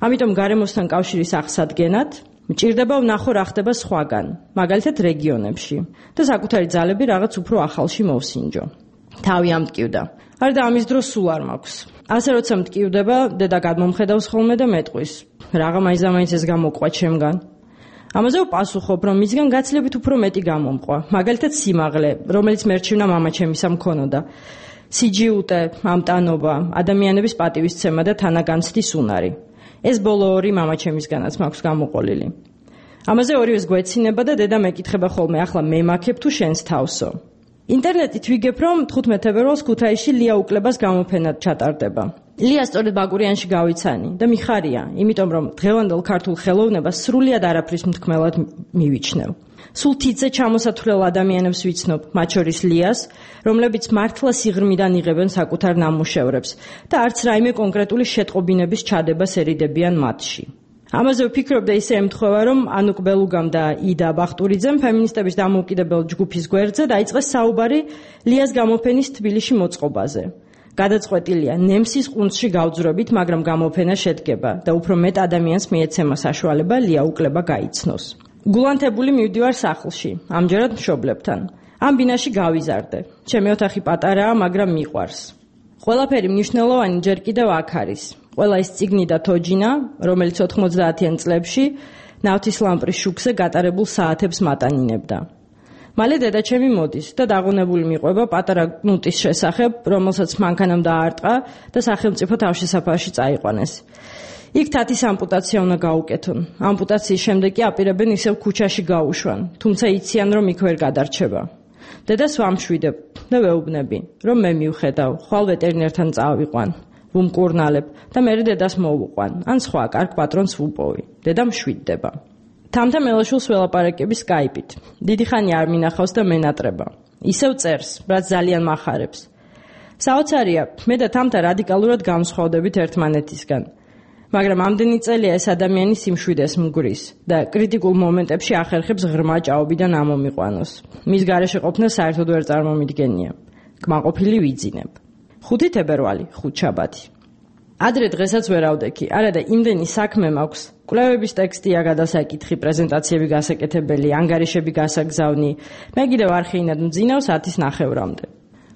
ამიტომ გარემოსთან კავშირის აღსადგენად მჭირდება ვნახო რა ხდება სხვაგან, მაგალითად რეგიონებში და საკუთარი ძალები რაღაც უფრო ახალში მოვსინჯო. თავი ამტკივდა. არ და ამის დროს სულ არ მაქვს. ასე როცა მტკივდება, დედა გადმომხედავს ხოლმე და მეტყვის. რაღა მაინც ეს გამოყვა ჩემგან. ამაზე ვპასუხობ, რომ მისგან გაცილებით უფრო მეტი გამომყვა, მაგალითად სიმაღლე, რომელიც მერჩივნა მამაჩემისა მქონოდა. სიჯიუტე, ამტანობა, ადამიანების პატივისცემა და თანაგანცდის უნარი. ეს ბოლო ორი მამაჩემისგანაც მაქვს გამოყოლილი. ამაზე ორივეს გვეცინება და დედა მეკითხება ხოლმე, ახლა მე მაქებ თუ შენს თავსო. ინტერნეტით ვიგებ, რომ თხუთმეტ თებერვალს ქუთაისში ლია უკლებას გამოფენად ჩატარდება. ლია სწორედ ბაგურიანში გავიცანი და მიხარია, იმიტომ რომ დღევანდელ ქართულ ხელოვნებას სრულიად არაფრის მთქმელად მივიჩნევ. სულ თითზე ჩამოსათვლელ ადამიანებს ვიცნობ, მათ შორის ლიას, რომლებიც მართლა სიღრმიდან იღებენ საკუთარ ნამუშევრებს და არც რაიმე კონკრეტული შეტყობინების ჩადებას ერიდებიან მათში. ამაზე ვფიქრობ და ისე ემთხვევა, რომ ანუკ ბელუგამ და იდა ბახტურიძემ ფემინისტების დამოუკიდებელ ჯგუფის გვერდზე დაიწყეს საუბარი ლიას გამოფენის თბილისში მოწყობაზე. გადაწყვეტილია ნემსის ყუნწში გავძვრებით, მაგრამ გამოფენა შედგება და უფრო მეტ ადამიანს მიეცემა საშუალება ლია უკლება გაიცნოს. გულანთებული მივდივარ სახლში, ამჯერად მშობლებთან. ამ ბინაში გავიზარდე. ჩემი ოთახი პატარაა, მაგრამ მიყვარს. ყველაფერი მნიშვნელოვანი ჯერ კიდევ აქ არის. ყველა ის წიგნი და თოჯინა, რომელიც ოთხმოცდაათიან წლებში ნავთის ლამპრის შუქზე გატარებულ საათებს მატანინებდა. მალე დედაჩემი მოდის და დაღონებული მიყვება პატარა ნუტის შესახებ, რომელსაც მანქანამ დაარტყა და სახელმწიფო თავშესაფარში წაიყვანეს. იქ თათის ამპუტაცია უნდა გაუკეთონ. ამპუტაციის შემდეგ კი აპირებენ ისევ ქუჩაში გაუშვან, თუმცა იციან, რომ იქ ვერ გადარჩება. დედას ვამშვიდებ და ვეუბნები, რომ მე მივხედავ, ხვალ ვეტერინერთან წავიყვან. ვუმკურნალებ და მე დედას მოვუყვან, ან სხვა კარგ პატრონს ვუპოვი. დედა მშვიდდება. თამთა მელაშვილს ველაპარაკები Skype-ით. დიდი ხანი არ მინახავს და მენატრება. ისევ წერს, რაც ძალიან მახარებს. საოცარია, მე და თამთა რადიკალურად გამსხვავდებით ერთმანეთისგან. მაგრამ ამდენი წელია ეს ადამიანი სიმშვიდეს მგვრის და კრიტიკულ მომენტებში ახერხებს ღრმა ჭაობიდან ამომიყვანოს. მის გარეშე ყოფნა საერთოდ ვერ წარმომიდგენია. კმაყოფილი ვიძინებ. ხუთი თებერვალი, ხუთშაბათი. ადრე დღესაც ვერ ავდექი, არა და იმდენი საქმე მაქვს. კვლევების ტექსტია გადასაკითხი, პრეზენტაციები გასაკეთებელი, ანგარიშები გასაგზავნი. მე კიდევ არხეინად მძინავს ათის ნახევრამდე.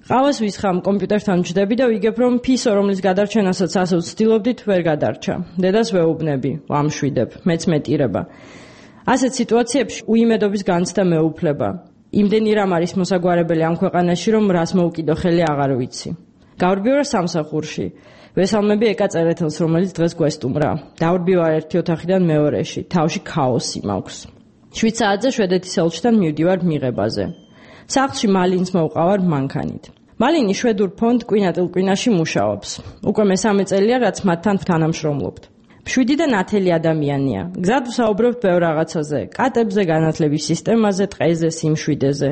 ყავას ვისხამ, კომპიუტერთან ვჯდები და ვიგებ, რომ ფისო, რომლის გადარჩენასაც ასე ვცდილობდით, ვერ გადარჩა. დედას ვეუბნები, ვამშვიდებ, მეც მეტირება. ასეთ სიტუაციებში უიმედობის განცდა მეუფლება. იმდენი რამ არის მოსაგვარებელი ამ ქვეყანაში, რომ რას მოვკიდო ხელი აღარ ვიცი. გავრბივარ სამსახურში. ვესალმები ეკა წერეთელს, რომელიც დღეს გვესტუმრა. დავრბივარ ერთი ოთახიდან მეორეში, თავში ქაოსი მაქვს. შვიდ საათზე შვედეთის ელჩთან მივდივარ მიღებაზე. სახლში მალინს მოვყავარ მანქანით. მალინი შვედურ ფონდ კვინატილკვინაში მუშაობს. უკვე მესამე წელია, რაც მათთან ვთანამშრომლობთ. მშვიდი და ნათელი ადამიანია. გზად ვსაუბრობთ ბევრ რაღაცაზე, კატებზე, განათლების სისტემაზე, ტყეზე, სიმშვიდეზე.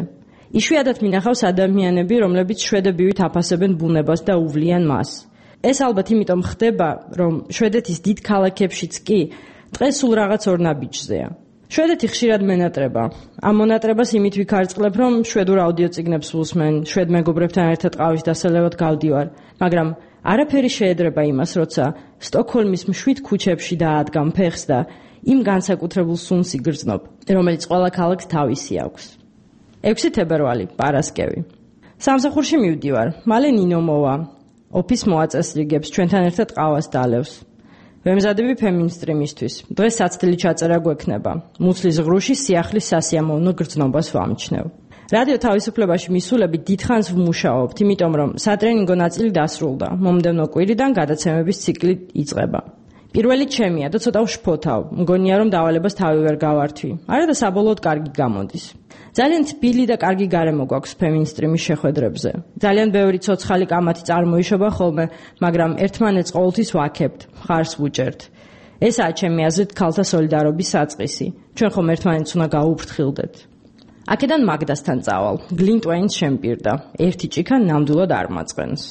იშვიათად მინახავს ადამიანები, რომლებიც შვედებივით აფასებენ ბუნებას და უვლიან მას. ეს ალბათ იმიტომ ხდება, რომ შვედეთის დიდ ქალაქებშიც კი ტყე სულ რაღაც ორ ნაბიჯზეა. შვედეთი ხშირად მენატრება. ამ მონატრებას იმით ვიქარწყლებ, რომ შვედურ აუდიო წიგნებს ვუსმენ, შვედ მეგობრებთან ერთად ყავის დასალევად გავდივარ, მაგრამ არაფერი შეედრება იმას, როცა სტოკჰოლმის მშვიდ ქუჩებში დაადგამ ფეხს და იმ განსაკუთრებულ სუნს იგრძნობ, რომელიც ყველა ქალაქს თავისი აქვს. ექვსი თებერვალი, პარასკევი. სამსახურში მივდივარ, მალე ნინო მოვა. ოფის მოაწესრიგებს, ჩვენთან ერთად ყავას დალევს. ვემზადები ფემინსტრიმისთვის. დღეს საცდელი ჩაწერა გვექნება. მუცლის ღრუში სიახლის სასიამოვნო გრძნობას ვამჩნევ. რადიო თავისუფლებაში მისულები დიდხანს ვმუშაობთ, იმიტომ რომ სატრენინგო ნაწილი დასრულდა. მომდევნო კვირიდან გადაცემების ციკლი იწყება. პირველი ჩემია და ცოტა ვშფოთავ. მგონია რომ დავალებას თავი ვერ გავართვი. არა და საბოლოოდ კარგი გამოდის. ძალიან თბილი და კარგი გარემო გვაქვს ფემინსტრიმის შეხვედრებზე. ძალიან ბევრი ცოცხალი კამათი წარმოიშობა ხოლმე, მაგრამ ერთმანეთს ყოველთვის ვაქებთ, მხარს ვუჭერთ. ესაა ჩემი აზრით ქალთა სოლიდარობის საწყისი. ჩვენ ხომ ერთმანეთს უნდა გაუფრთხილდეთ. აქედან მაგდასთან წავალ. გლინტვეინს შემპირდა. ერთი ჭიქა ნამდვილად არ მაწყენს.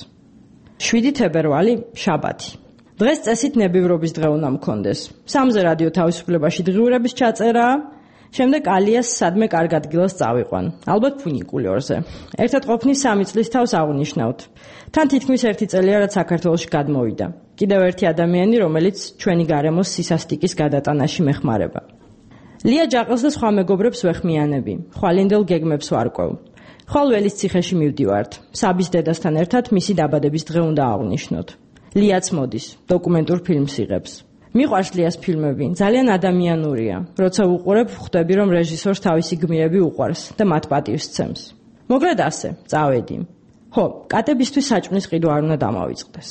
შვიდი თებერვალი, შაბათი. დღეს წესით ნებივრობის დღე უნდა მქონდეს. სამზე რადიო თავისუფლებაში დღიურების ჩაწერაა. შემდეგ ალიას სადმე კარგ ადგილას წავიყვან. ალბათ ფუნიკულიორზე. ერთად ყოფნის სამი წლის თავს აღნიშნავთ. თან თითქმის ერთი წელია, რაც საქართველოში გადმოვიდა. კიდევ ერთი ადამიანი, რომელიც ჩვენი გარემოს სისასტიკის გადატანაში მეხმარება. ლია ჯაყელს და სხვა მეგობრებს ვეხმიანები. ხვალინდელ გეგმებს ვარკვევ. ხვალ ველის ციხეში მივდივართ. საბის დედასთან ერთად მისი დაბადების დღე უნდა აღნიშნოთ. ლიაც მოდის, დოკუმენტურ ფილმს იღებს. მიყვარს ლიას ფილმები, ძალიან ადამიანურია. როცა უყურებ, ხვდები, რომ რეჟისორს თავისი გმირები უყვარს და მათ პატივს სცემს. მოგრედ ასე, წავედი. ხო, კატებისთვის საჭმლის ყიდვა არ უნდა დამავიწყდეს.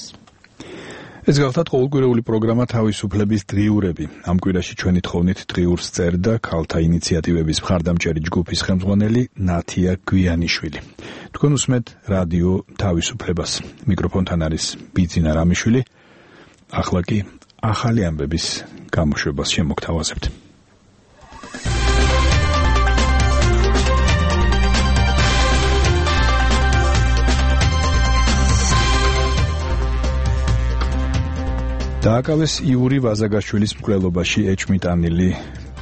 ეს გახლავთ ყოველკვირეული პროგრამა თავისუფლების დღიურები. ამ კვირაში ჩვენი თხოვნით დღიურს წერდა ქალთა ინიციატივების მხარდამჭერი ჯგუფის ხელმძღვანელი ნათია გვიანიშვილი. თქვენ უსმენთ რადიო თავისუფლებას. მიკროფონთან არის ბიძინა რამიშვილი. ახლა კი ახალი ამბების გამოშვებას შემოგთავაზებთ. დააკავეს იური ვაზაგაშვილის მკვლელობაში ეჭვმიტანილი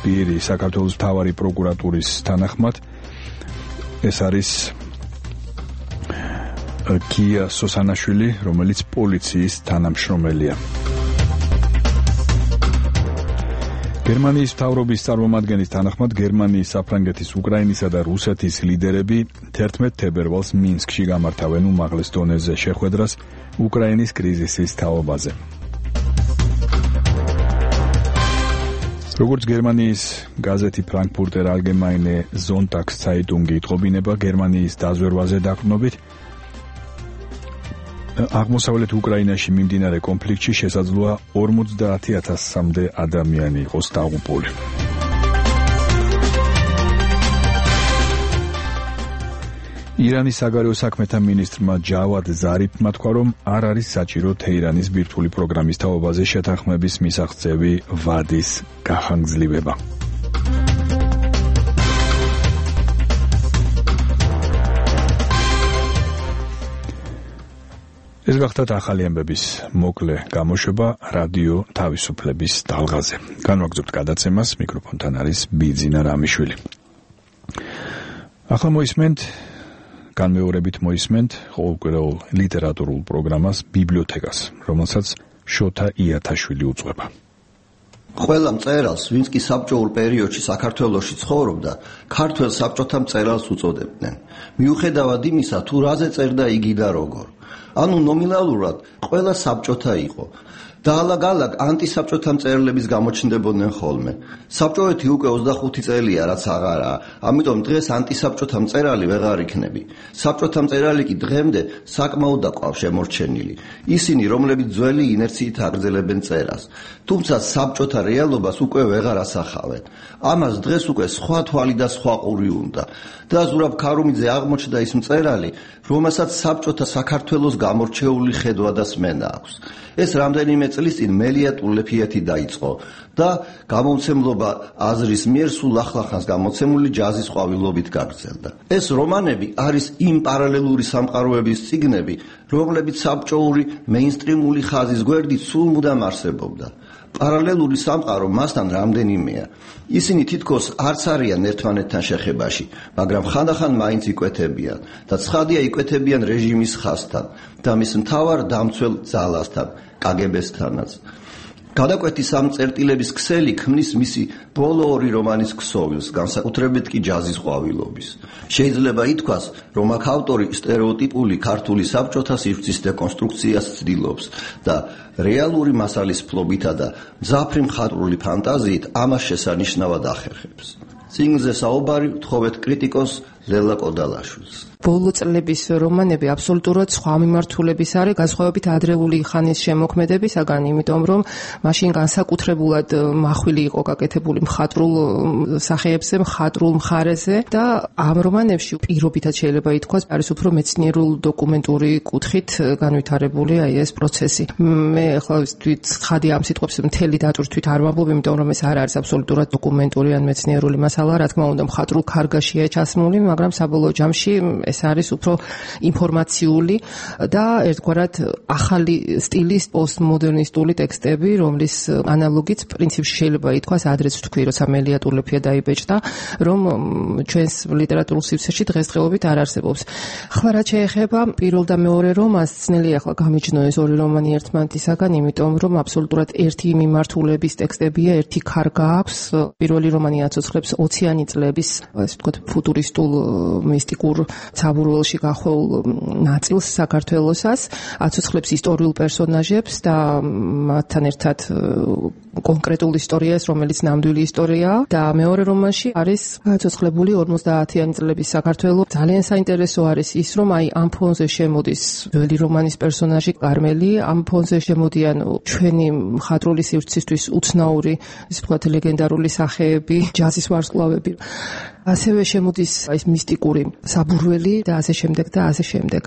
პირი საქართველოს მთავარი პროკურატურის თანახმად. ეს არის კია სოსანაშვილი, რომელიც პოლიციის თანამშრომელია. გერმანიის მთავრობის წარმომადგენლის თანახმად გერმანიის, საფრანგეთის, უკრაინისა და რუსეთის ლიდერები თერთმეტ თებერვალს მინსკში გამართავენ უმაღლეს დონეზე შეხვედრას უკრაინის კრიზისის თაობაზე. როგორც გერმანიის გაზეთი ფრანკფურტერ ალგემაინე ზონტაგს ცაიტუნგი იტყობინება, გერმანიის დაზვერვაზე დაყრდნობით აღმოსავლეთ უკრაინაში მიმდინარე კონფლიქტში შესაძლოა ორმოცდაათი ათასამდე ადამიანი იყოს დაღუპული. ირანის საგარეო საქმეთა მინისტრმა ჯავად ზარიფმა თქვა, რომ არ არის საჭირო თეირანის ბირთვული პროგრამის თაობაზე შეთანხმების მისაღწევი ვადის გახანგრძლივება. ეს გახდათ ახალი ამბების მოკლე გამოშვება რადიო თავისუფლების დალღაზე. განვაგრძობთ გადაცემას, მიკროფონთან არის ბიძინა რამიშვილი. ახლა მოისმენთ, განმეორებით მოისმენთ ყოველკვირეულ ლიტერატურულ პროგრამას ბიბლიოთეკას, რომელსაც შოთა იათაშვილი უძღვება.
ყველა მწერალს, ვინც კი საბჭოურ პერიოდში საქართველოში ცხოვრობდა, ქართველ საბჭოთა მწერალს უწოდებდნენ. მიუხედავად იმისა, თუ რაზე წერდა იგი და როგორ. ანუ ნომინალურად ყველა საბჭოთა იყო. და ალაგ-ალაგ ანტისაბჭოთა მწერლების გამოჩნდებოდნენ ხოლმე. საბჭოეთი უკვე ოცდახუთი წელია, რაც აღარაა, ამიტომ დღეს ანტისაბჭოთა მწერალი ვეღარ იქნები. საბჭოთა მწერალი კი დღემდე საკმაოდ დაყავს შემორჩენილი. ისინი, რომლებიც ძველი ინერციით აგრძელებენ წერას. თუმცა საბჭოთა რეალობას უკვე ვეღარ ასახავენ. ამას დღეს უკვე სხვა თვალი და სხვა ყური უნდა. და ზურაბ ქარუმიძე აღმოჩნდა ის მწერალი, რომელსაც საბჭოთა საქართველოს გამორჩეული ხედვა და სმენა აქვს. ეს რამდენიმე წლის წინ მელია ტულეფიეთი დაიწყო და გამომცემლობა აზრის მიერ სულ ახლახანს გამოცემული ჯაზის ყვავილობით გაგრძელდა. ეს რომანები არის იმ პარალელური სამყაროების წიგნები, რომლებიც საბჭოური მეინსტრიმული ხაზის გვერდით სულ მუდამ არსებობდა. პარალელური სამყარო მასთან რამდენიმეა. ისინი თითქოს არც არიან ერთმანეთთან შეხებაში, მაგრამ ხანდახან მაინც იკვეთებიან და ცხადია იკვეთებიან რეჟიმის ხაზთან და მის მთავარ დამცველ ძალასთან, კაგებესთანაც. გადაკვეთის ამ წერტილების ქსელი ქმნის მისი ბოლო ორი რომანის ქსოვილს, განსაკუთრებით კი ჯაზის ყვავილობის. შეიძლება ითქვას, რომ აქ ავტორი სტერეოტიპული ქართული საბჭოთა სივრცის დეკონსტრუქციას ცდილობს და რეალური მასალის ფლობითა და მძაფრი მხატვრული ფანტაზიით ამას შესანიშნავად ახერხებს. წიგნზე საუბარი ვთხოვეთ კრიტიკოს ლელა კოდალაშვილს.
ბოლო წლების რომანები აბსოლუტურად სხვა მიმართულების არის, განსხვავებით ადრეული ხანის შემოქმედებისაგან, იმიტომ რომ მაშინ განსაკუთრებულად მახვილი იყო გაკეთებული მხატვრულ სახეებზე, მხატვრულ მხარეზე და ამ რომანებში პირობითად შეიძლება ითქვას, არის უფრო მეცნიერულ დოკუმენტური კუთხით განვითარებული აი ეს პროცესი. მე ახლა ვთვით ხადი ამ სიტყვებს მთელი დატვირთვით არ ვამბობ, იმიტომ რომ ეს არ არის აბსოლუტურად დოკუმენტური ან მეცნიერული მასალა, რა თქმა უნდა, მხატვრულ ქარგაშია ჩასმული, მაგრამ საბოლოო ჯამში ეს არის უფრო ინფორმაციული და ერთგვარად ახალი სტილის პოსტმოდერნისტული ტექსტები, რომლის ანალოგიც პრინციპში შეიძლება ითქვას ადრეც ვთქვი, როცა მელია ტულეფია დაიბეჭდა, რომ ჩვენს ლიტერატურულ სივრცეში დღესდღეობით არ არსებობს. ახლა რაც შეეხება პირველ და მეორე რომანს, ძნელია ახლა გამიჯნო ეს ორი რომანი ერთმანეთისაგან, იმიტომ რომ აბსოლუტურად ერთი მიმართულების ტექსტებია, ერთი ქარგა აქვს. პირველი რომანი აცოცხლებს ოციანი წლების, ასე ვთქვათ, ფუტურისტულ მისტიკურ საბურველში გახვეულ ნაწილს საქართველოსას, აცოცხლებს ისტორიულ პერსონაჟებს და მათთან ერთად კონკრეტულ ისტორიას, რომელიც ნამდვილი ისტორიაა და მეორე რომანში არის აცოცხლებული ორმოცდაათიანი წლების საქართველო. ძალიან საინტერესო არის ის, რომ აი ამ ფონზე შემოდის ძველი რომანის პერსონაჟი კარმელი, ამ ფონზე შემოდიან ჩვენი მხატვრული სივრცისთვის უცნაური, ისე ვთქვათ, ლეგენდარული სახეები, ჯაზის ვარსკვლავები. ასევე შემოდის ეს მისტიკური საბურველი და ასე შემდეგ და ასე შემდეგ.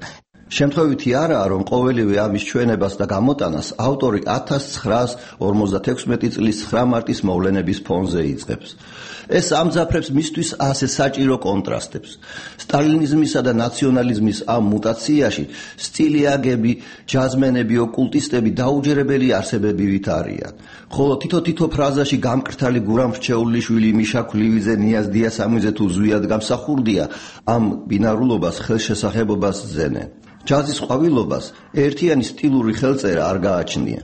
შემთხვევითი არაა, რომ ყოველივე ამის ჩვენებას და გამოტანას ავტორი ათას ცხრაას ორმოცდათექვსმეტი წლის ცხრა მარტის მოვლენების ფონზე იწყებს. ეს ამძაფრებს მისთვის ასე საჭირო კონტრასტებს. სტალინიზმისა და ნაციონალიზმის ამ მუტაციაში სტილიაგები, ჯაზმენები, ოკულტისტები დაუჯერებელი არსებებივით არიან. ხოლო თითო-თითო ფრაზაში გამკრთალი გურამ რჩეულიშვილი, მიშა ქლივიძე, ნიაზ დიასამიძე თუ ზვიად გამსახურდია, ამ ბინარულობას, ხელშესახებობას ძენენ. ჯაზის ყვავილობას ერთიანი სტილური ხელწერა არ გააჩნია.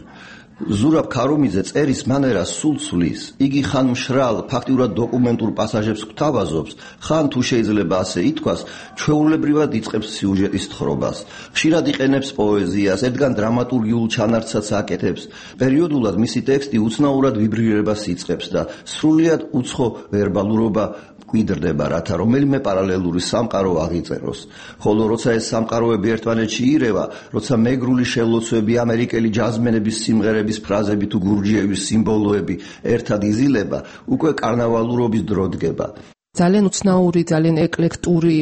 ზურაბ ქარუმიძე წერის მანერას სულ ცვლის. იგი ხან მშრალ, ფაქტიურად დოკუმენტურ პასაჟებს გვთავაზობს, ხან თუ შეიძლება ასე ითქვას, ჩვეულებრივად იწყებს სიუჟეტის თხრობას. ხშირად იყენებს პოეზიას, ერთგან დრამატურგიულ ჩანართსაც აკეთებს. პერიოდულად მისი ტექსტი უცნაურად ვიბრირებას იწყებს და სრულიად უცხო ვერბალურობა გვიდრდება, რათა რომელიმე პარალელური სამყარო აღიწეროს. ხოლო როცა ეს სამყაროები ერთმანეთში ირევა, როცა მეგრული შელოცვები, ამერიკელი ჯაზმენების სიმღერების ფრაზები თუ გურჯიების სიმბოლოები ერთად იზილება, უკვე კარნავალურობის დრო დგება.
ძალიან უცნაური, ძალიან ეკლექტური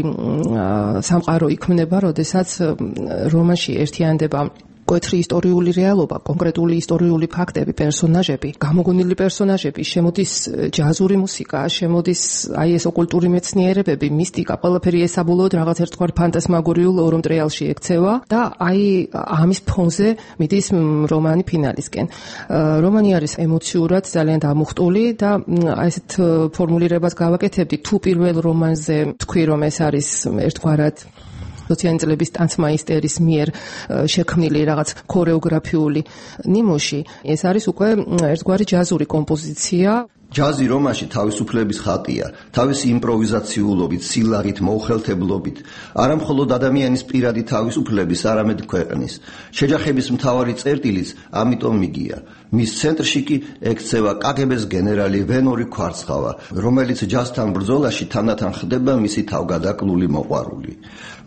სამყარო იქმნება, როდესაც რომანში ერთიანდება მკვეთრი ისტორიული რეალობა, კონკრეტული ისტორიული ფაქტები, პერსონაჟები, გამოგონილი პერსონაჟები, შემოდის ჯაზური მუსიკა, შემოდის აი ეს ოკულტური მეცნიერებები, მისტიკა, ყველაფერი ეს საბოლოოდ რაღაც ერთგვარ ფანტასმაგორიულ ორომტრიალში ექცევა და აი ამის ფონზე მიდის რომანი ფინალისკენ. რომანი არის ემოციურად ძალიან დამუხტული და აი ესეთ ფორმულირებას გავაკეთებდი თუ პირველ რომანზე თქვი რომ ეს არის ერთგვარად ოციანი წლების ტანცმაისტერის მიერ შექმნილი რაღაც ქორეოგრაფიული ნიმუში, ეს არის უკვე ერთგვარი ჯაზური კომპოზიცია.
ჯაზი რომანში თავისუფლების ხატია, თავისი იმპროვიზაციულობით, სილაღით, მოუხელთებლობით, არა მხოლოდ ადამიანის პირადი თავისუფლების, არამედ ქვეყნის. შეჯახების მთავარი წერტილიც ამიტომ მიგია. მის ცენტრში კი ექცევა კაგებეს გენერალი ვენორი ქვარცხავა, რომელიც ჯაზთან ბრძოლაში თანდათან ხდება მისი თავგადაკლული მოყვარული.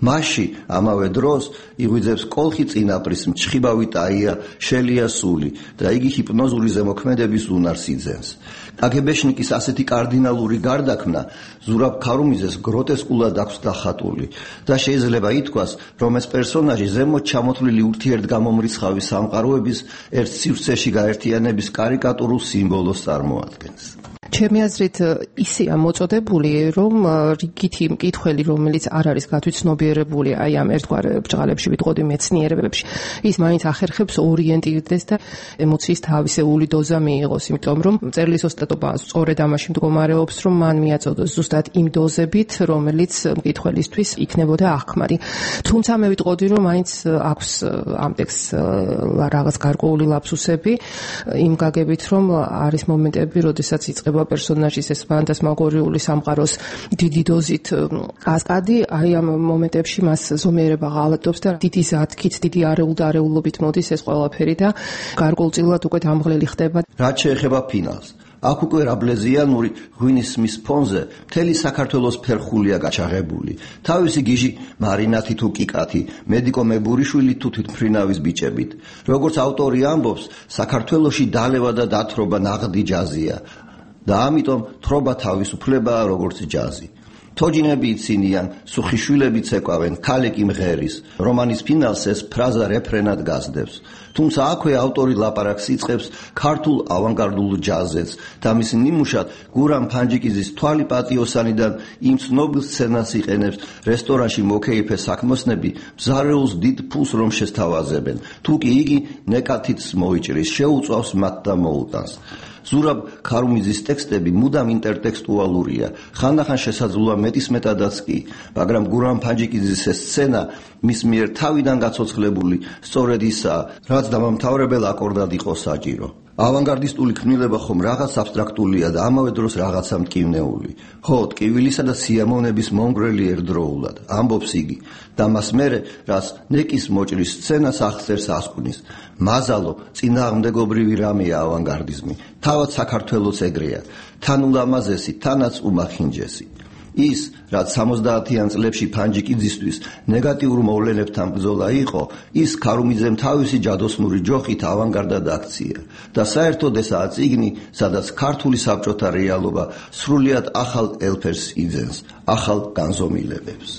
მასში ამავე დროს იღვიძებს კოლხი წინაპრის მჩხიბავი ტაია შელია სული და იგი ჰიპნოზური ზემოქმედების უნარს იძენს. კაგებეშნიკის ასეთი კარდინალური გარდაქმნა ზურაბ ქარუმიძეს გროტესკულად აქვს დახატული და შეიძლება ითქვას, რომ ეს პერსონაჟი ზემოთ ჩამოთვლილი ურთიერთგამომრიცხავი სამყაროების ერთ სივრცეში გაერთიანების კარიკატურულ სიმბოლოს წარმოადგენს.
ჩემი აზრით ისეა მოწოდებული, რომ რიგითი მკითხველი, რომელიც არ არის გათვითცნობიერებული აი ამ ერთგვარ ბჭყალებში, ვიტყოდი მეცნიერებებში, ის მაინც ახერხებს ორიენტირდეს და ემოციის თავისეული დოზა მიიღოს, იმიტომ რომ მწერლის ოსტატობა სწორედ ამაში მდგომარეობს, რომ მან მიაწოდოს ზუსტად იმ დოზებით, რომელიც მკითხველისთვის იქნებოდა აღქმარი. თუმცა მე ვიტყოდი, რომ მაინც აქვს ამ ტექსტს რაღაც გარკვეული ლაფსუსები, იმ გაგებით, რომ არის მომენტები, როდესაც იწყება პერსონაჟის ეს ფანტასმაგორიული სამყაროს დიდი დოზით კასკადი, აი ამ მომენტებში მას ზომიერება ღალატობს და დიდი ზათქით, დიდი არეულ და არეულობით მოდის ეს ყველაფერი და გარკვეულწილად უკვე დამღლელი ხდება.
რაც შეეხება ფინალს, აქ უკვე რაბლეზიანური ღვინის მის ფონზე მთელი საქართველოს ფერხულია გაჩაღებული. თავისი გიჟი მარინათი თუ კიკათი, მედიკო მებურიშვილი თუ თვითმფრინავის ბიჭებით. როგორც ავტორი ამბობს, საქართველოში დალევა და დათრობა ნაღდი ჯაზია. და ამიტომ თრობა თავისუფლებაა როგორც ჯაზი. თოჯინები იცინიან, სუხიშვილები ცეკვავენ, ქალიკი მღერის. რომანის ფინალს ეს ფრაზა რეფრენად გასდევს. თუმცა აქვე ავტორი ლაპარაკს იწყებს ქართულ ავანგარდულ ჯაზებს და მის ნიმუშად გურამ ფანჯიკიძის თვალი პატიოსანიდან იმ ცნობილ სცენას იყენებს რესტორანში მოკეიფე საქმოსნები მზარეულს დიდ ფულს რომ შესთავაზებენ. თუ კი იგი ნეკათით მოიჭრის, შეუწავს მათ და მოუტანს. ზურაბ ქარუმიძის ტექსტები მუდამ ინტერტექსტუალურია, ხანდახან შესაძლოა მეტისმეტადაც კი, მაგრამ გურამ ფანჯიკიძის ეს სცენა მის მიერ თავიდან გაცოცხლებული სწორედ ისაა, რაც დამამთავრებელ აკორდად იყო საჭირო. ავანგარდისტული ქმნილება ხომ რაღაც აბსტრაქტულია და ამავე დროს რაღაცა მტკივნეული. ხო, ტკივილისა და სიამოვნების მომგვრელი ერთდროულად, ამბობს იგი, და მას მერე, რაც ნეკის მოჭრის სცენას აღწერს ასკვნის. მაზალო, წინააღმდეგობრივი რამეა ავანგარდიზმი, თავად საქართველოს ეგრეა, თან ულამაზესი, თანაც უმახინჯესი. ის, რაც სამოცდაათიან წლებში ფანჯიკიძისთვის ნეგატიურ მოვლენებთან ბრძოლა იყო, ის ქარუმიძემ თავისი ჯადოსნური ჯოხით ავანგარდად აქცია და საერთოდ ესაა წიგნი, სადაც ქართული საბჭოთა რეალობა სრულიად ახალ ელფერს იძენს, ახალ განზომილებებს.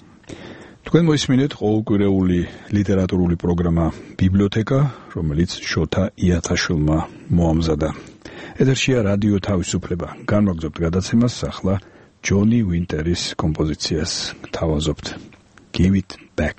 თქვენ მოისმინეთ ყოველკვირეული ლიტერატურული პროგრამა ბიბლიოთეკა, რომელიც შოთა იათაშვილმა მოამზადა. ეთერშია რადიო თავისუფლება. განვაგრძობთ გადაცემას, ახლა ჯონი ვინტერის კომპოზიციას თავაზობთ. Give it back.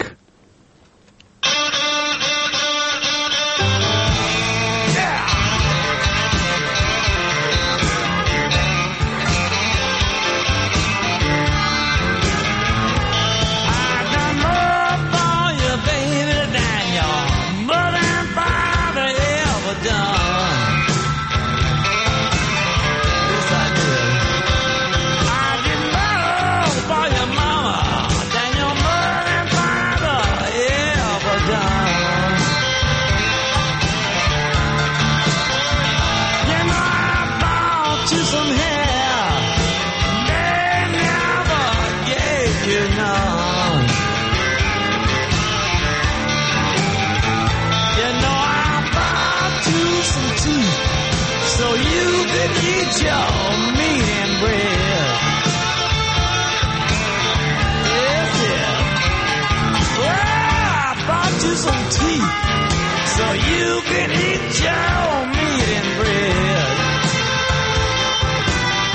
So you can eat your meat and bread.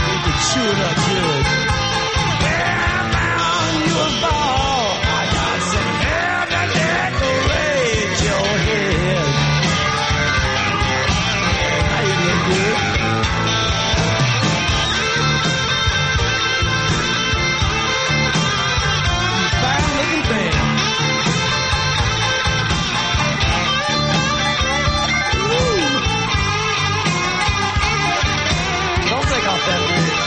You can chew it up good. Well, now you're bald. I got some hair to decorate your head. How you look good? Fine looking thing. Don't take off that wig.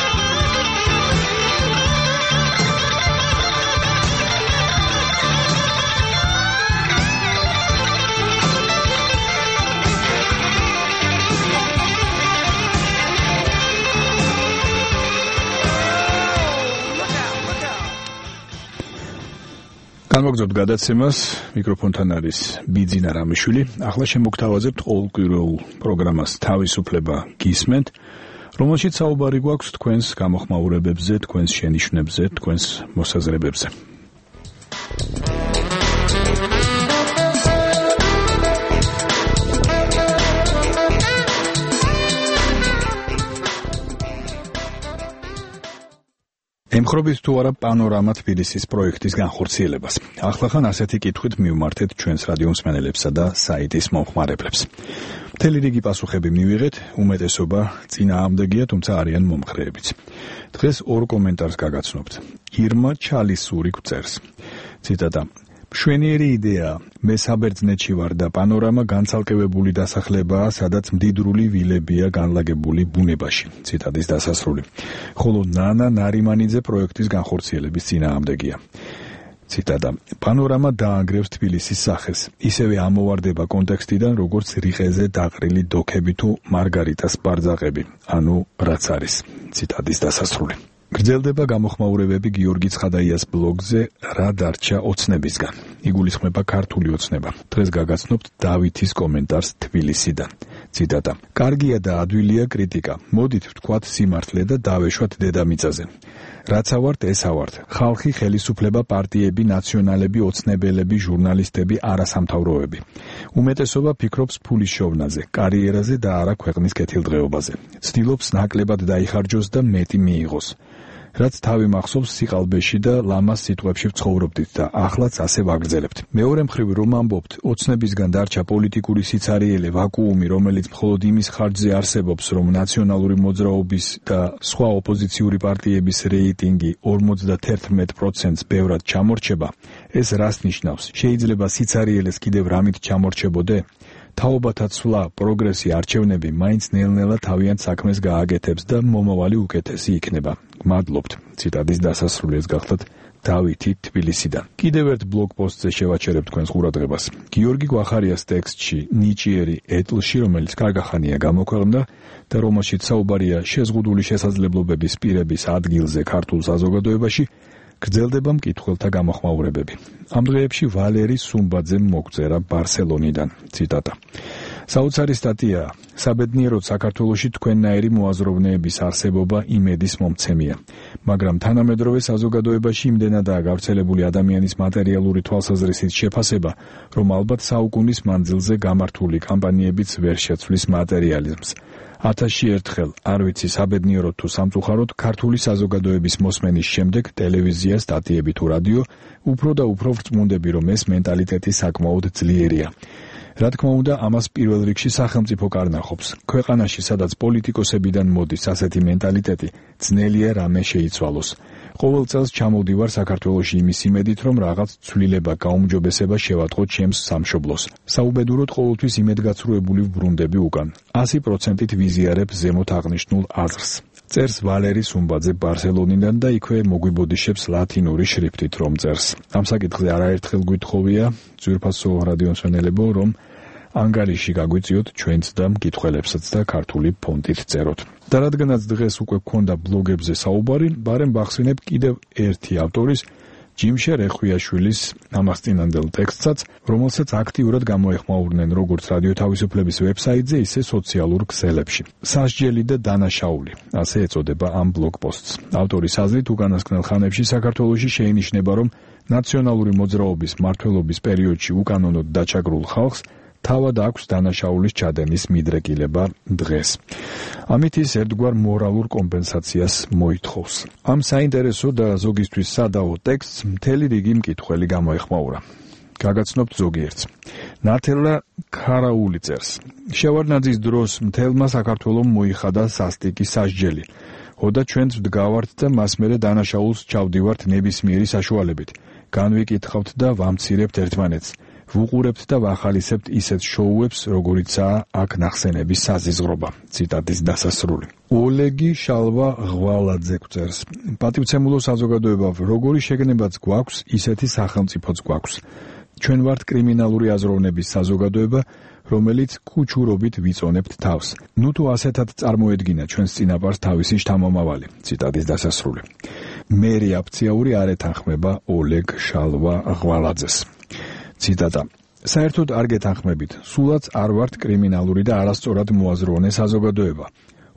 განმოგზავნოთ გადაცემას, მიკროფონთან არის ბიძინა რამიშვილი. ახლა შემოგთავაზებთ ყოველკვირეულ პროგრამას თავისუფლება გისმენთ, რომელშიც საუბარი გვაქვს თქვენს გამოხმაურებებზე, თქვენს შენიშვნებზე, თქვენს მოსაზრებებზე. ემხრობით თუ არა პანორამა თბილისის პროექტის განხორციელებას. ახლახან ასეთი კითხვით მივმართეთ ჩვენს რადიო მსმენელებსა და საიტის მომხმარებლებს. მთელი რიგი პასუხები მივიღეთ, უმეტესობა წინააღმდეგია, თუმცა არიან მომხრეებიც. დღეს ორ კომენტარს გაგაცნობთ. ირმა ჩალისური გვწერს. ციტატა: მშვენიერი იდეაა. მე საბერძნეთში ვარ და პანორამა განცალკევებული დასახლებაა, სადაც მდიდრული ვილებია განლაგებული ბუნებაში. ციტატის დასასრული. ხოლო ნანა ნარიმანიძე პროექტის განხორციელების წინააღმდეგია. ციტატა: პანორამა დაანგრევს თბილისის სახეს. ისევე ამოვარდება კონტექსტიდან, როგორც რიყეზე დაყრილი დოქები თუ მარგარიტას ბარძაყები, ანუ რაც არის. ციტატის დასასრული. გრძელდება გამოხმაურებები გიორგი ცხადაიას ბლოგზე რა დარჩა ოცნებისგან. იგულისხმება ქართული ოცნება. დღეს გაგაცნობთ დავითის კომენტარს თბილისიდან. ციტატა: კარგია და ადვილია კრიტიკა. მოდით ვთქვათ სიმართლე და დავეშვათ დედამიწაზე. რაც ავართ, ეს ავართ. ხალხი, ხელისუფლება, პარტიები, ნაციონალები, ოცნებელები, ჟურნალისტები, არასამთავროები. უმეტესობა ფიქრობს ფულის შოვნაზე, კარიერაზე და არა ქვეყნის კეთილდღეობაზე. ცდილობს ნაკლებად დაიხარჯოს და მეტი მიიღოს. რაც თავი მახსოვს სიყალბეში და ლამას სიტყვებში ვცხოვრობდით და ახლაც ასე ვაგრძელებთ. მეორე მხრივ რომ ამბობთ, ოცნებისგან დარჩა პოლიტიკური სიცარიელე, ვაკუუმი, რომელიც მხოლოდ იმის ხარჯზე არსებობს, რომ ნაციონალური მოძრაობის და სხვა ოპოზიციური პარტიების რეიტინგი ორმოცდაერთმეტ პროცენტს ბევრად ჩამორჩება, ეს რას ნიშნავს? შეიძლება სიცარიელეს კიდევ რამით ჩამორჩებოდე? თაობათა ცვლა, პროგრესი, არჩევნები მაინც ნელ-ნელა თავიანთ საქმეს გააკეთებს და მომავალი უკეთესი იქნება. მადლობთ. ციტატის დასასრულს გახლავთ დავითი თბილისიდან. კიდევ ერთ ბლოგ პოსტზე შევაჩერებ თქვენს ყურადღებას. გიორგი გვახარიას ტექსტში ნიჭიერი ეტლში, რომელიც კარგახანია გამოქვეყნდა და რომელშიც საუბარია შეზღუდული შესაძლებლობების პირების ადგილზე ქართულ საზოგადოებაში, გრძელდება მკითხველთა გამოხმაურებები. ამ დღეებში ვალერი სუმბაძემ მოგწერა ბარსელონიდან. ციტატა: საოცარი სტატია. საბედნიეროდ საქართველოში თქვენნაირი მოაზროვნეების არსებობა იმედის მომცემია. მაგრამ თანამედროვე საზოგადოებაში იმდენადაა გავრცელებული ადამიანის მატერიალური თვალსაზრისით შეფასება, რომ ალბათ საუკუნის მანძილზე გამართული კამპანიებიც ვერ შეცვლის მატერიალიზმს. ათასში ერთხელ, არ ვიცი საბედნიეროდ თუ სამწუხაროდ, ქართული საზოგადოების მოსმენის შემდეგ ტელევიზია, სტატიები თუ რადიო, უფრო და უფრო ვრწმუნდები, რომ ეს მენტალიტეტი საკმაოდ ძლიერია. რა თქმა უნდა, ამას პირველ რიგში სახელმწიფო კარნახობს. ქვეყანაში, სადაც პოლიტიკოსებიდან მოდის ასეთი მენტალიტეტი, ძნელია რამე შეიცვალოს. ყოველ წელს ჩამოვდივარ საქართველოში იმის იმედით, რომ რაღაც ცვლილება, გაუმჯობესება შევატყო ჩემს სამშობლოს. საუბედუროდ ყოველთვის იმედგაცრუებული ვბრუნდები უკან. ასი პროცენტით ვიზიარებ ზემოთ აღნიშნულ აზრს. წერს ვალერი სუმბაძე ბარსელონიდან და იქვე მოგვიბოდიშებს ლათინური შრიფტით რომ წერს. ამ საკითხზე არაერთხელ გვითხოვია ძვირფასო რადიო მსმენელებო, რომ ანგარიში გაგვიწიოთ ჩვენც და მკითხველებსაც და ქართული ფონტით წეროთ. და რადგანაც დღეს უკვე გქონდა ბლოგებზე საუბარი, ბარემ ვახსენებ კიდევ ერთი ავტორის, ჯიმშე რეხვიაშვილის ამასწინანდელ ტექსტსაც, რომელსაც აქტიურად გამოეხმაურნენ როგორც რადიო თავისუფლების ვებსაიტზე, ისე სოციალურ ქსელებში. სასჯელი და დანაშაული, ასე ეწოდება ამ ბლოგ პოსტს. ავტორის აზრით, უკანასკნელ ხანებში საქართველოში შეინიშნება, რომ ნაციონალური მოძრაობის მმართველობის პერიოდში უკანონოდ დაჩაგრულ ხალხს თავად აქვს დანაშაულის ჩადენის მიდრეკილება დღეს. ამით ის ერთგვარ მორალურ კომპენსაციას მოითხოვს. ამ საინტერესო და ზოგისთვის სადაო ტექსტს მთელი რიგი მკითხველი გამოეხმაურა. გაგაცნობთ ზოგიერთს. ნათელა ქარაული წერს. შევარდნაძის დროს მთელმა საქართველომ მოიხადა სასტიკი სასჯელი. ოდა ჩვენც ვდგავართ და მას მერე დანაშაულს ჩავდივართ ნებისმიერი საშუალებით. განვიკითხავთ და ვამცირებთ ერთმანეთს. ვუყურებთ და ვახალისებთ ისეთ შოუებს, როგორიცაა აქ ნახსენების საზიზღრობა. ციტატის დასასრული. ოლეგი შალვა ღვალაძე წერს. პატივცემულო საზოგადოება, როგორი შეგნებაც გვაქვს, ისეთი სახელმწიფოც გვაქვს. ჩვენ ვართ კრიმინალური აზროვნების საზოგადოება, რომელიც კუჩურობით ვიწონებთ თავს. ნუ თუ ასეთად წარმოედგინა ჩვენს წინაპარს თავისი შთამომავალი. ციტატის დასასრული. მერი აფციაური არ ეთანხმება ოლეგ შალვა ღვალაძეს. ციტატა. საერთოდ არ გეთანხმებით, სულაც არ ვართ კრიმინალური და არასწორად მოაზროვნე საზოგადოება.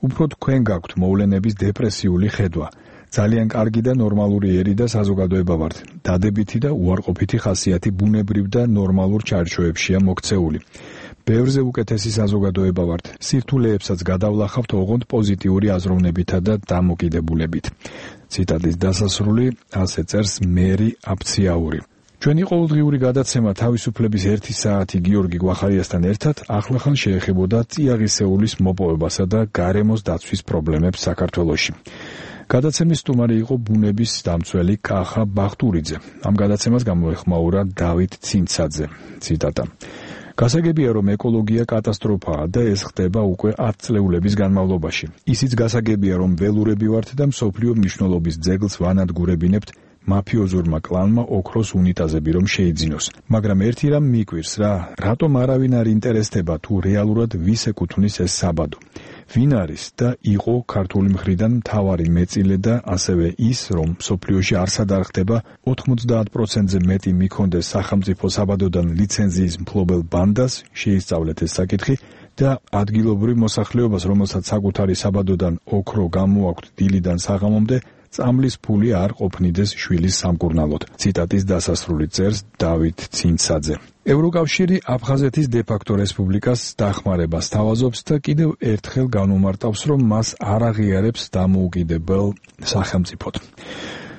უფრო თქვენ გაქვთ მოვლენების დეპრესიული ხედვა. ძალიან კარგი და ნორმალური ერი და საზოგადოება ვართ. დადებითი და უარყოფითი ხასიათი ბუნებრივ და ნორმალურ ჩარჩოებშია მოქცეული. ბევრზე უკეთესი საზოგადოება ვართ. სირთულეებსაც გადავლახავთ ოღონდ პოზიტიური აზროვნებითა და დამოკიდებულებით. ციტატის დასასრული. ასე წერს მერი აფციაური. ჩვენი ყოველდღიური გადაცემა თავისუფლების ერთი საათი გიორგი გვახარიასთან ერთად ახლახან შეეხებოდა წიაღისეულის მოპოვებასა და გარემოს დაცვის პრობლემებს საქართველოში. გადაცემის სტუმარი იყო ბუნების დამცველი კახა ბახტურიძე. ამ გადაცემას გამოეხმაურა დავით ცინცაძე. ციტატა. გასაგებია, რომ ეკოლოგია კატასტროფაა და ეს ხდება უკვე ათ წლეულების განმავლობაში. ისიც გასაგებია, რომ ველურები ვართ და მსოფლიო მნიშვნელობის ძეგლს ვანადგურებინებთ მაფიოზურმა კლანმა ოქროს უნიტაზები რომ შეიძინოს. მაგრამ ერთი რამ მიკვირს რა, რატომ არავინ არ ინტერესდება თუ რეალურად ვის ეკუთვნის ეს საბადო. ვინ არის და იყო ქართული მხრიდან მთავარი მეწილე და ასევე ის, რომ მსოფლიოში არსად არ ხდება ოთხმოცდაათ პროცენტზე მეტი მიქონდეს სახელმწიფო საბადოდან ლიცენზიის მფლობელ ბანდას, შეისწავლეთ ეს საკითხი და ადგილობრივ მოსახლეობას, რომელსაც საკუთარი საბადოდან ოქრო გამოაქვთ დილიდან საღამომდე, წამლის ფული არ ყოფნიდეს შვილის სამკურნალოდ. ციტატის დასასრული წერს დავით ცინცაძე. ევროკავშირი აფხაზეთის დე-ფაქტო რესპუბლიკას დახმარებას თავაზობს და კიდევ ერთხელ განუმარტავს, რომ მას არ აღიარებს დამოუკიდებელ სახელმწიფოდ.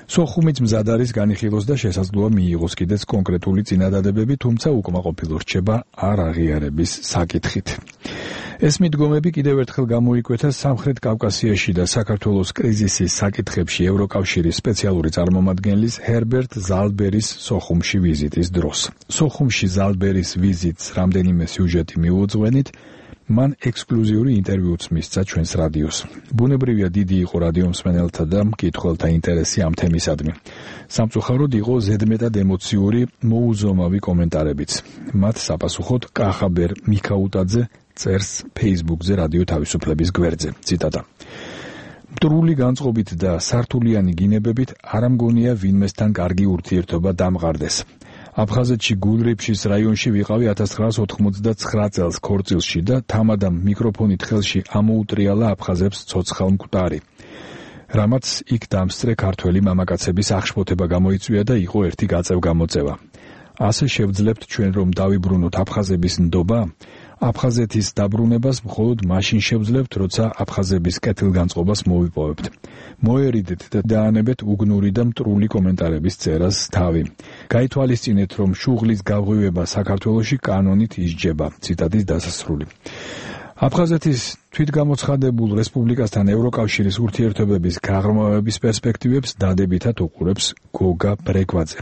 სოხუმიც მზად არის განიხილოს და შესაძლოა მიიღოს კიდეც კონკრეტული წინადადებები, თუმცა უკმაყოფილო რჩება არ აღიარების საკითხით. ეს მიდგომები კიდევ ერთხელ გამოიკვეთა სამხრეთ კავკასიაში და საქართველოს კრიზისის საკითხებში ევროკავშირის სპეციალური წარმომადგენლის ჰერბერტ ზალდბერის სოხუმში ვიზიტის დროს. სოხუმში ზალდბერის ვიზიტს რამდენიმე სიუჟეტი მიუძღვენით, მან ექსკლუზიური ინტერვიუც მისცა ჩვენს რადიოს. ბუნებრივია დიდი იყო რადიომსმენელთა და მკითხველთა ინტერესი ამ თემისადმი. სამწუხაროდ იყო ზედმეტად ემოციური, მოუზომავი კომენტარებიც. მათ საპასუხოდ კახაბერ მიქაუტაძე წერს Facebook-ზე რადიო თავისუფლების გვერდზე. ციტატა. მტრული განწყობით და სართულიანი გინებებით არ ამგონია ვინმესთან კარგი ურთიერთობა დამყარდეს. აფხაზეთში გულრიფშის რაიონში ვიყავი ათას ცხრაას ოთხმოცდაცხრა წელს ქორწილში და თამადამ მიკროფონით ხელში ამოუტრიალა აფხაზებს ცოცხალ მკვდარი. რამაც იქ დამსწრე ქართველი მამაკაცების აღშფოთება გამოიწვია და იყო ერთი გაწევ-გამოწევა. ასე შევძლებთ ჩვენ რომ დავიბრუნოთ აფხაზების ნდობა? აფხაზეთის დაბრუნებას მხოლოდ მაშინ შევძლებთ, როცა აფხაზების კეთილგანწყობას მოვიპოვებთ. მოერიდეთ და დაანებეთ უგნური და მტრული კომენტარების წერას თავი. გაითვალისწინეთ, რომ შუღლის გაღვივება საქართველოში კანონით ისჯება. ციტატის დასასრული. აფხაზეთის თვითგამოცხადებულ რესპუბლიკასთან ევროკავშირის ურთიერთობების გაღრმავების პერსპექტივებს დადებითად უყურებს გოგა ბრეგვაძე.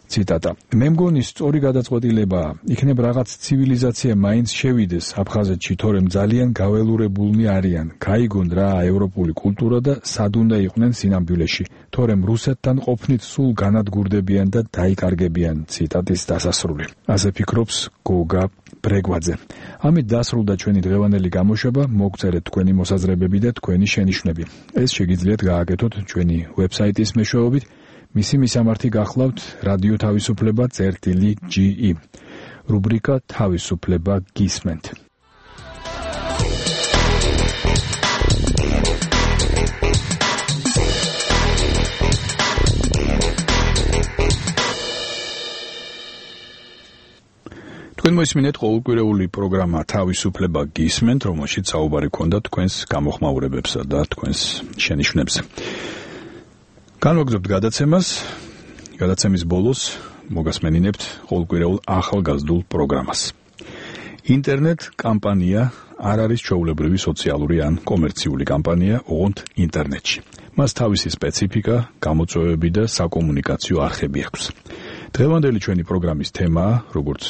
ციტატა. მე მგონი სწორი გადაწყვეტილებაა. იქნებ რაღაც ცივილიზაცია მაინც შევიდეს აფხაზეთში, თორემ ძალიან გაველურებულნი არიან. გაიგონ რა ევროპული კულტურა და სად უნდა იყვნენ სინამდვილეში. თორემ რუსეთთან ყოფნით სულ განადგურდებიან და დაიკარგებიან. ციტატის დასასრული. ასე ფიქრობს გოგა ბრეგვაძე. ამით დასრულდა ჩვენი დღევანდელი გამოშვება. მოგწერეთ თქვენი მოსაზრებები და თქვენი შენიშვნები. ეს შეგიძლიათ გააკეთოთ ჩვენი ვებსაიტის მეშვეობით. მისი მისამართი გახლავთ რადიო თავისუფლება წერტილი ჯი ი. რუბრიკა თავისუფლება გისმენთ. თქვენ მოისმინეთ ყოველკვირეული პროგრამა თავისუფლება გისმენთ, რომელშიც საუბარი ქონდა თქვენს გამოხმაურებებსა და თქვენს შენიშვნებზე. განვაგრძობთ გადაცემას. გადაცემის ბოლოს მოგასმენინებთ ყოველკვირეულ ახალგაზრდულ პროგრამას. ინტერნეტ კამპანია არ არის ჩვეულებრივი სოციალური ან კომერციული კამპანია, ოღონდ ინტერნეტში. მას თავისი სპეციფიკა, გამოწვევები და საკომუნიკაციო არხები აქვს. დღევანდელი ჩვენი პროგრამის თემაა, როგორც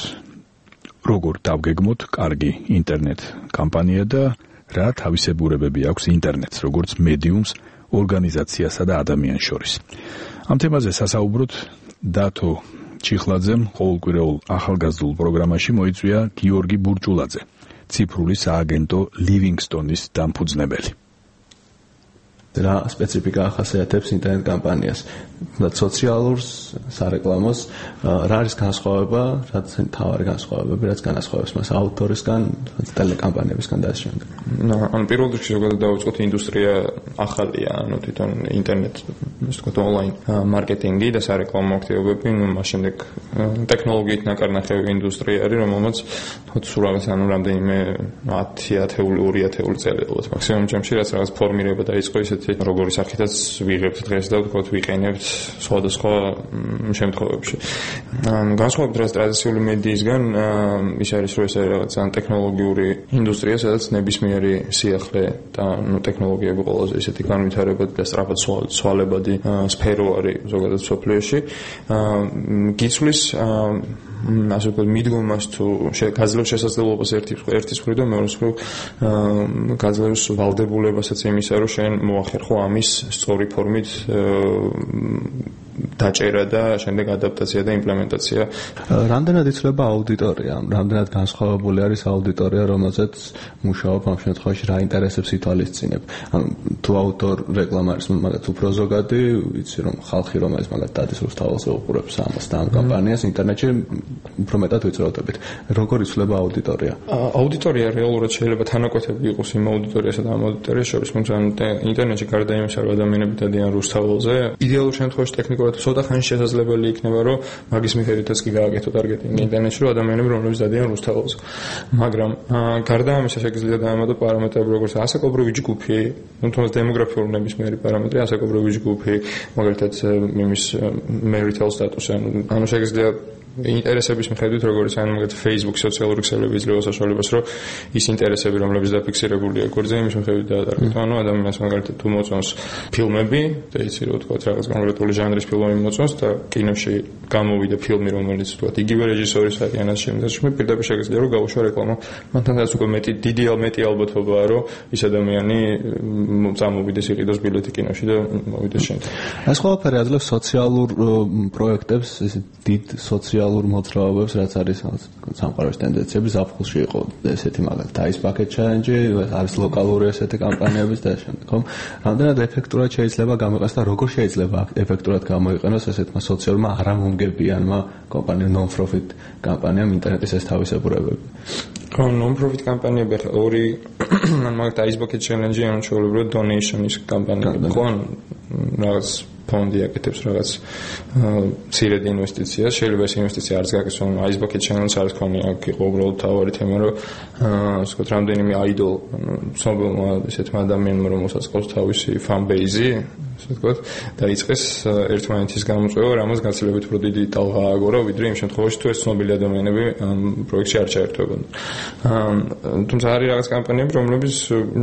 როგორ დავგეგმოთ კარგი ინტერნეტ კამპანია და რა თავისებურებები აქვს ინტერნეტს, როგორც მედიუმს, ორგანიზაციასა და ადამიანს შორის. ამ თემაზე სასაუბროთ დათო ჩიხლაძემ ყოველკვირეულ ახალგაზრდულ პროგრამაში მოიწვია გიორგი ბურჭულაძე, ციფრული სააგენტო ლივინგსტონის დამფუძნებელი.
რა სპეციფიკა ახასიათებს ინტერნეტ კამპანიას? და სოციალურს, სარეკლამოს, რა არის განსხვავება, რაც თავარი განსხვავებები, რაც განასხვავებს მას ავტორისგან, ტელეკამპანიებისგან და ამ შემდეგ.
ანუ პირველ რიგში ზოგადად დავიწყოთ, ინდუსტრია ახალია, ანუ თვითონ ინტერნეტ, ასე ვთქვათ, ონლაინ მარკეტინგი და სარეკლამო აქტივობები, ну, მას შემდეგ ტექნოლოგიით ნაკარნახევი ინდუსტრია არის, რომელმაც თქო სულ რაღაც ანუ რამდენიმე ათი ათეული ორი ათეული წელი ალბათ მაქსიმუმ ჩემში რაც რაღაც ფორმირება დაიწყო ისეთი როგორი სახითაც ვიღებთ დღეს და ვთქვათ ვიყენებთ სხვადასხვა შემთხვევებში. განსხვავებით რაც ტრადიციული მედიისგან ის არის რომ ეს არის რაღაც ან ტექნოლოგიური ინდუსტრია, სადაც ნებისმიერი სიახლე და ნუ ტექნოლოგიები ყველაზე ისეთი განვითარებადი და სწრაფად ცვალებადი სფერო არის ზოგადად სოფლიოში. გიცვლის ასე ვთქვათ მიდგომას თუ გაძლევს შესაძლებლობას ერთი ერთის მხრივ და მეორე მხრივ გაძლევს ვალდებულებასაც იმისა რომ შენ მოახერხო ამის სწორი ფორმით დაჭერა და შემდეგ ადაპტაცია და იმპლემენტაცია.
რამდენად იცვლება აუდიტორია? რამდენად განსხვავებული არის აუდიტორია, რომელზეც მუშაობ ამ შემთხვევაში რა ინტერესებს ითვალისწინებ? ანუ თუ აუტორ რეკლამა არის მაგათ უფრო ზოგადი, ვიცი რომ ხალხი რომელიც მაგათ დადის რუსთაველს უყურებს ამას და ამ კამპანიას ინტერნეტში უფრო მეტად ვიწროვდებით. როგორ იცვლება აუდიტორია?
აუდიტორია რეალურად შეიძლება თანაკვეთები იყოს იმ აუდიტორიასა და ამ აუდიტორიას შორის, თუმცა ინტერნეტში გარდა იმისა, რომ ადამიანები დადიან რუსთაველზე, იდეალურ შემთხვევაში ტექნიკურად ცოტა ხანი შესაძლებელი იქნება, რომ მაგის მიხედვითაც კი გააკეთო ტარგეტინგი ინტერნეტში, რომ ადამიანები რომლებიც დადიან რუსთაველზე. მაგრამ გარდა ამისა შეგიძლია დაამატო პარამეტრები, როგორც ასაკობრივი ჯგუფი, ну, თუმცა დემოგრაფიული ნებისმიერი პარამეტრი, ასაკობრივი ჯგუფი, მაგალითად იმის marital status, ანუ შეგიძლია ინტერესების მიხედვით, როგორც ან მაგათ Facebook სოციალური ქსელები იძლევა საშუალებას, რომ ის ინტერესები, რომლებიც დაფიქსირებულია გვერდზე, იმის მიხედვით დაადარგოთ. ანუ ადამიანს მაგალითად თუ მოწონს ფილმები, და იცი რომ თქვა რაღაც კონკრეტული ჟანრის ფილმები მოწონს და კინოში გამოვიდა ფილმი, რომელიც თქვა იგივე რეჟისორის არის, ან ასე შემდეგ, პირდაპირ შეგიძლია რომ გაუშვა რეკლამა. მანთანაც უკვე მეტი დიდი მეტი ალბათობაა, რომ ის ადამიანი წამოვიდეს იყიდოს ბილეთი კინოში და მოვიდეს შენ.
ეს ყველაფერი აძლევს სოციალურ პროექტებს, ესე დიდ სოციალურ მოძრაობებს, რაც არის სამყაროს ტენდენციები, ზაფხულში იყო ესეთი მაგალითად Ice Bucket Challenge, არის ლოკალური ესეთი კამპანიების და შემდეგ, ხომ? რამდენად ეფექტურად შეიძლება გამოიყენოს და როგორ შეიძლება ეფექტურად გამოიყენოს ესეთმა სოციალურმა არამომგებიანმა კომპანიამ, non-profit კამპანიამ ინტერნეტის ეს თავისებურებები?
ხო, non-profit კამპანიები ახლა ორი, ან მაგალითად Ice Bucket Challenge, ანუ ჩვეულებრივად donation-ის კამპანია, ხო, რაღაც ფონდი აკეთებს რაღაც მცირედ ინვესტიციას, შეიძლება ეს ინვესტიცია არც გაკეთოს, ანუ Ice Bucket Challenge არის კონი, აქ იყო უბრალოდ თავარი თემა, რომ ასე ვთქვათ, რამდენიმე idol, ანუ ცნობილმა ესეთმა ადამიანმა, რომელსაც ყავს თავისი fan base-ი, ასე ვთქვათ, დაიწყეს ერთმანეთის გამოწვევა, რამაც გაცილებით უფრო დიდი ტალღა ააგორა, ვიდრე იმ შემთხვევაში, თუ ეს ცნობილი ადამიანები ამ პროექტში არ ჩაერთვებოდნენ. თუმცა არის რაღაც კამპანიები, რომლებიც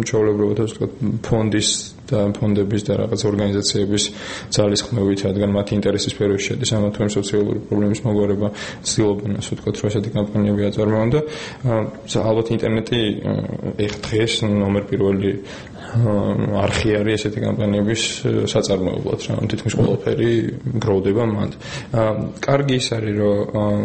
ჩვეულებრივად, ასე ვთქვათ, ფონდის და ფონდების და რაღაც ორგანიზაციების ძალისხმევით, რადგან მათი ინტერესის სფეროში შედის ამა თუ იმ სოციალური პრობლემის მოგვარება, ცდილობენ, ასე ვთქვათ, რომ ესეთი კამპანიები აწარმოონ და ალბათ ინტერნეტი ეხ დღეს ნომერ პირველი არხი არის ესეთი კამპანიების საწარმოებლად, რა თითქმის ყველაფერი გროვდება მანდ. კარგი ის არის, რომ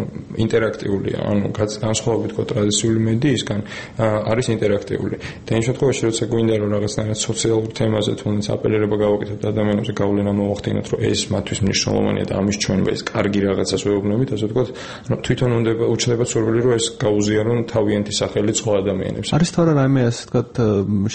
ინტერაქტიულია, ანუ განსხვავებით თქო ტრადიციული მედიისგან არის ინტერაქტიული. და იმ შემთხვევაში, როცა გვინდა რომ რაღაცნაირად სოციალურ თემაზე თუნდაც აპელირება გავაკეთოთ ადამიანებზე, გავლენა მოვახდინოთ, რომ ეს მათთვის მნიშვნელოვანია და ამის ჩვენება ეს კარგი რაღაცას ვეუბნებით, ასე ვთქვათ, რომ თვითონ უნდა უჩნდება სურვილი, რომ ეს გაუზიარონ თავიანთი სახელი სხვა ადამიანებს.
არის თორე რაიმე, ასე ვთქვათ,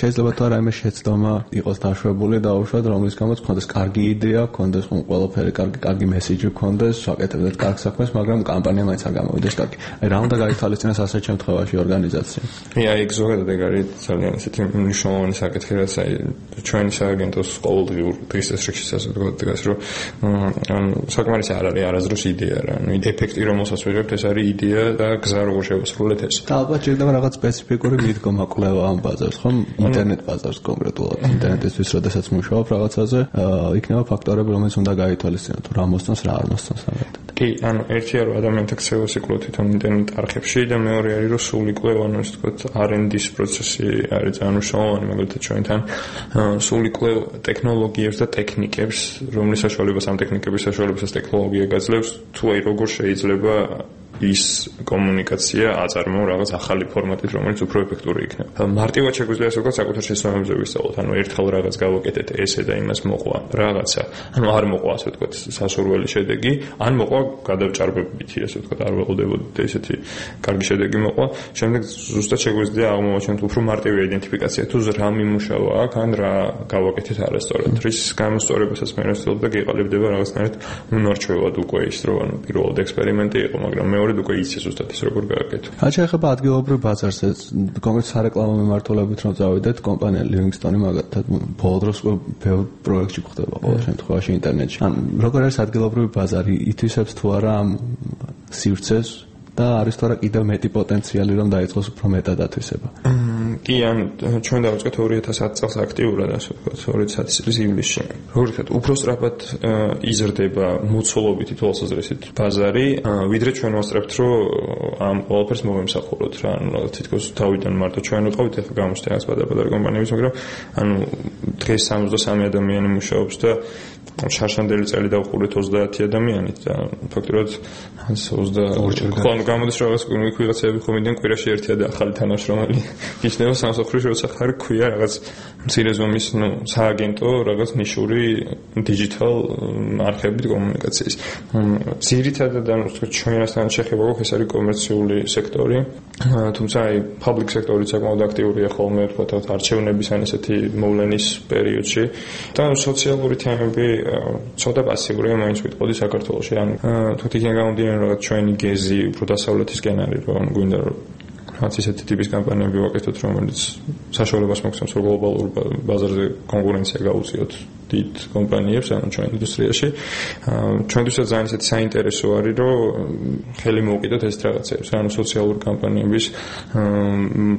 შეიძლება თუ რაიმე შეცდომა იყოს დაშვებული და უშუალოდ რომლის გამოც ქონდეს კარგი იდეა, ქონდეს ყველაფერი კარგი, კარგი მესიჯი ქონდეს, ვაკეთებდეთ კარგ საქმეს, მაგრამ კამპანია მაინც არ გამოვიდეს კარგი. აი რა უნდა გაითვალისწინოს ასეთ შემთხვევაში ორგანიზაცია?
აი ეგ ზოგადად ეგ არის ძალიან ისეთი მნიშვნელოვანი საკითხი, რაც აი ჩვენი სააგენტოს ყოველდღიურ დღის წესრიგში ასე ვთქვათ დგას, რომ ანუ საკმარისი არ არის არასდროს იდეა რა. ანუ ეფექტი რომელსაც ვიღებთ ეს არის იდეა და გზა როგორ შევასრულეთ ეს.
და ალბათ შეიძლება რაღაც სპეციფიკური მიდგომა კვლევა ამ ბაზარს, ხომ? ინტერნეტ ბაზარს კონკრეტულად. ინტერნეტისთვის როდესაც მუშაობ რაღაცაზე, იქნება ფაქტორები, რომელიც უნდა გაითვალისწინოთ, რა მოსწონს, რა არ მოსწონს ამერტად.
კი, ანუ ერთი არის ადამიანთა ქცევა სიკვდილით თვითონ ინტერნეტ არხებში და მეორე არის რომ სული კვლევა, ანუ ასე ვთქვათ, არ ენდ დის პროცესი არის ძალიან მნიშვნელოვანი, მაგალითად ჩვენთან სული კვლევა ტექნოლოგიებს და ტექნიკებს, რომლის საშუალებას ამ ტექნიკების საშუალებასაც ტექნოლოგია გაძლევს, თუ აი როგორ შეიძლება ის კომუნიკაცია აწარმოო რაღაც ახალი ფორმატით, რომელიც უფრო ეფექტური იქნება. მარტივად შეგვიძლია ასე ვთქვათ, საკუთარ შეცდომებზე ვისწავლოთ. ანუ ერთხელ რაღაც გავაკეთეთ ესე და იმას მოყვა რაღაცა. ანუ არ მოყვა ასე ვთქვათ სასურველი შედეგი, ან მოყვა გადავჭარბებითი ასე ვთქვათ, არ ველოდებოდით ესეთი კარგი შედეგი მოყვა. შემდეგ ზუსტად შეგვიძლია აღმოვაჩინოთ უფრო მარტივი იდენტიფიკაცია, თუ რა მიმუშავა აქ, ან რა გავაკეთეთ არასწორად. რის გამოსწორებასაც მე ვცდილობ და გეყალიბდება რაღაცნაირად უნარჩვევად უკვე ის, რომ ანუ პირველად ექსპერიმენტი იყო, მაგრამ მე უკვე იცის ზუსტად ის როგორ გააკეთო.
რაც შეეხება ადგილობრივ ბაზარზე, კონკრეტ სარეკლამო მიმართულებით რომ წავიდეთ, კომპანია Livingstone მაგათად ბოლო დროს ბევრ პროექტში გვხდება ყოველ შემთხვევაში ინტერნეტში. ან როგორ არის ადგილობრივი ბაზარი, ითვისებს თუ არა ამ სივრცეს და არის თუ არა კიდევ მეტი პოტენციალი რომ დაიწყოს უფრო მეტად ათვისება.
კი, ან ჩვენ დავიწყეთ ორი ათას ათი წელს აქტიურად, ასე ვთქვათ, ორი ათას ათი წლის ივლისში. როგორ ვთქვათ, უფრო სწრაფად იზრდება მოცულობითი თვალსაზრისით ბაზარი, ვიდრე ჩვენ ვასწრებთ, რომ ამ ყველაფერს მოვემსახუროთ რა, ანუ თითქოს თავიდან მარტო ჩვენ ვიყავით, ახლა გამოჩნდა რაღაც პატარ-პატარა კომპანიების, მაგრამ ანუ დღეს სამოცდასამი ადამიანი მუშაობს და შარშანდელი წელი დავყურეთ ოცდაათი ადამიანით და ფაქტობრივად ოცდაორი ხო გამოდის რაღაც ვიღაცები ხომიდან კვირაში ერთია და ახალი თანამშრომელი ისნევა სამსახურში როცა ხარ ქვია რაღაც მცირე ზომის ნუ სააგენტო რაღაც ნიშური დიჯიტალ არხებით კომუნიკაციის. ძირითადად ანუ ჩვენასთან შეხება გვაქვს ეს არის კომერციული სექტორი, თუმცა აი public სექტორიც საკმაოდ აქტიურია ხოლმე ვთქვათ არჩევნების ან ესეთი მოვლენის პერიოდში და სოციალური თემები ცოტა პასიურია მაინც ვიტყოდი საქართველოში. ანუ თქო იქიდან გამომდინარე რაღაც ჩვენი გეზი უფრო დასავლეთისკენ არის რომ გვინდა რომ რაც ისეთი ტიპის კამპანიები ვაკეთოთ, რომელიც საშუალებას მოგცემს რომ გლობალურ ბაზარზე კონკურენცია გაუწიოთ დიდ კომპანიებს, ანუ ჩვენ ინდუსტრიაში. ჩვენთვისაც ძალიან ისეთი საინტერესო არის, რომ ხელი მოვუკიდოთ ეს რაღაცებს, ანუ სოციალური კამპანიების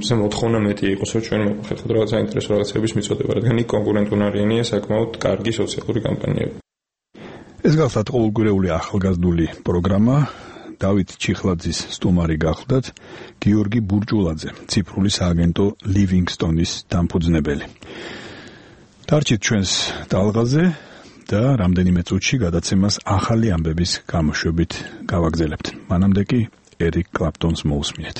ზე მოთხოვნა მეტი იყოს, რომ ჩვენ მოვხერხოთ რაღაც საინტერესო რაღაცების მიწოდება, რადგან იქ კონკურენტუნარიანია საკმაოდ კარგი სოციალური კამპანიები.
ეს გახლავთ ყოველგვარეული ახალგაზრდული პროგრამა. დავით ჩიხლაძის სტუმარი გახლდათ გიორგი ბურჭულაძე, ციფრული სააგენტო Livingstone-ის დამფუძნებელი. დარჩით ჩვენს ტალღაზე და რამდენიმე წუთში გადაცემას ახალი ამბების გამოშვებით გავაგზავნებთ. მანამდე კი ერიკ კლაპტონს მოусმინეთ.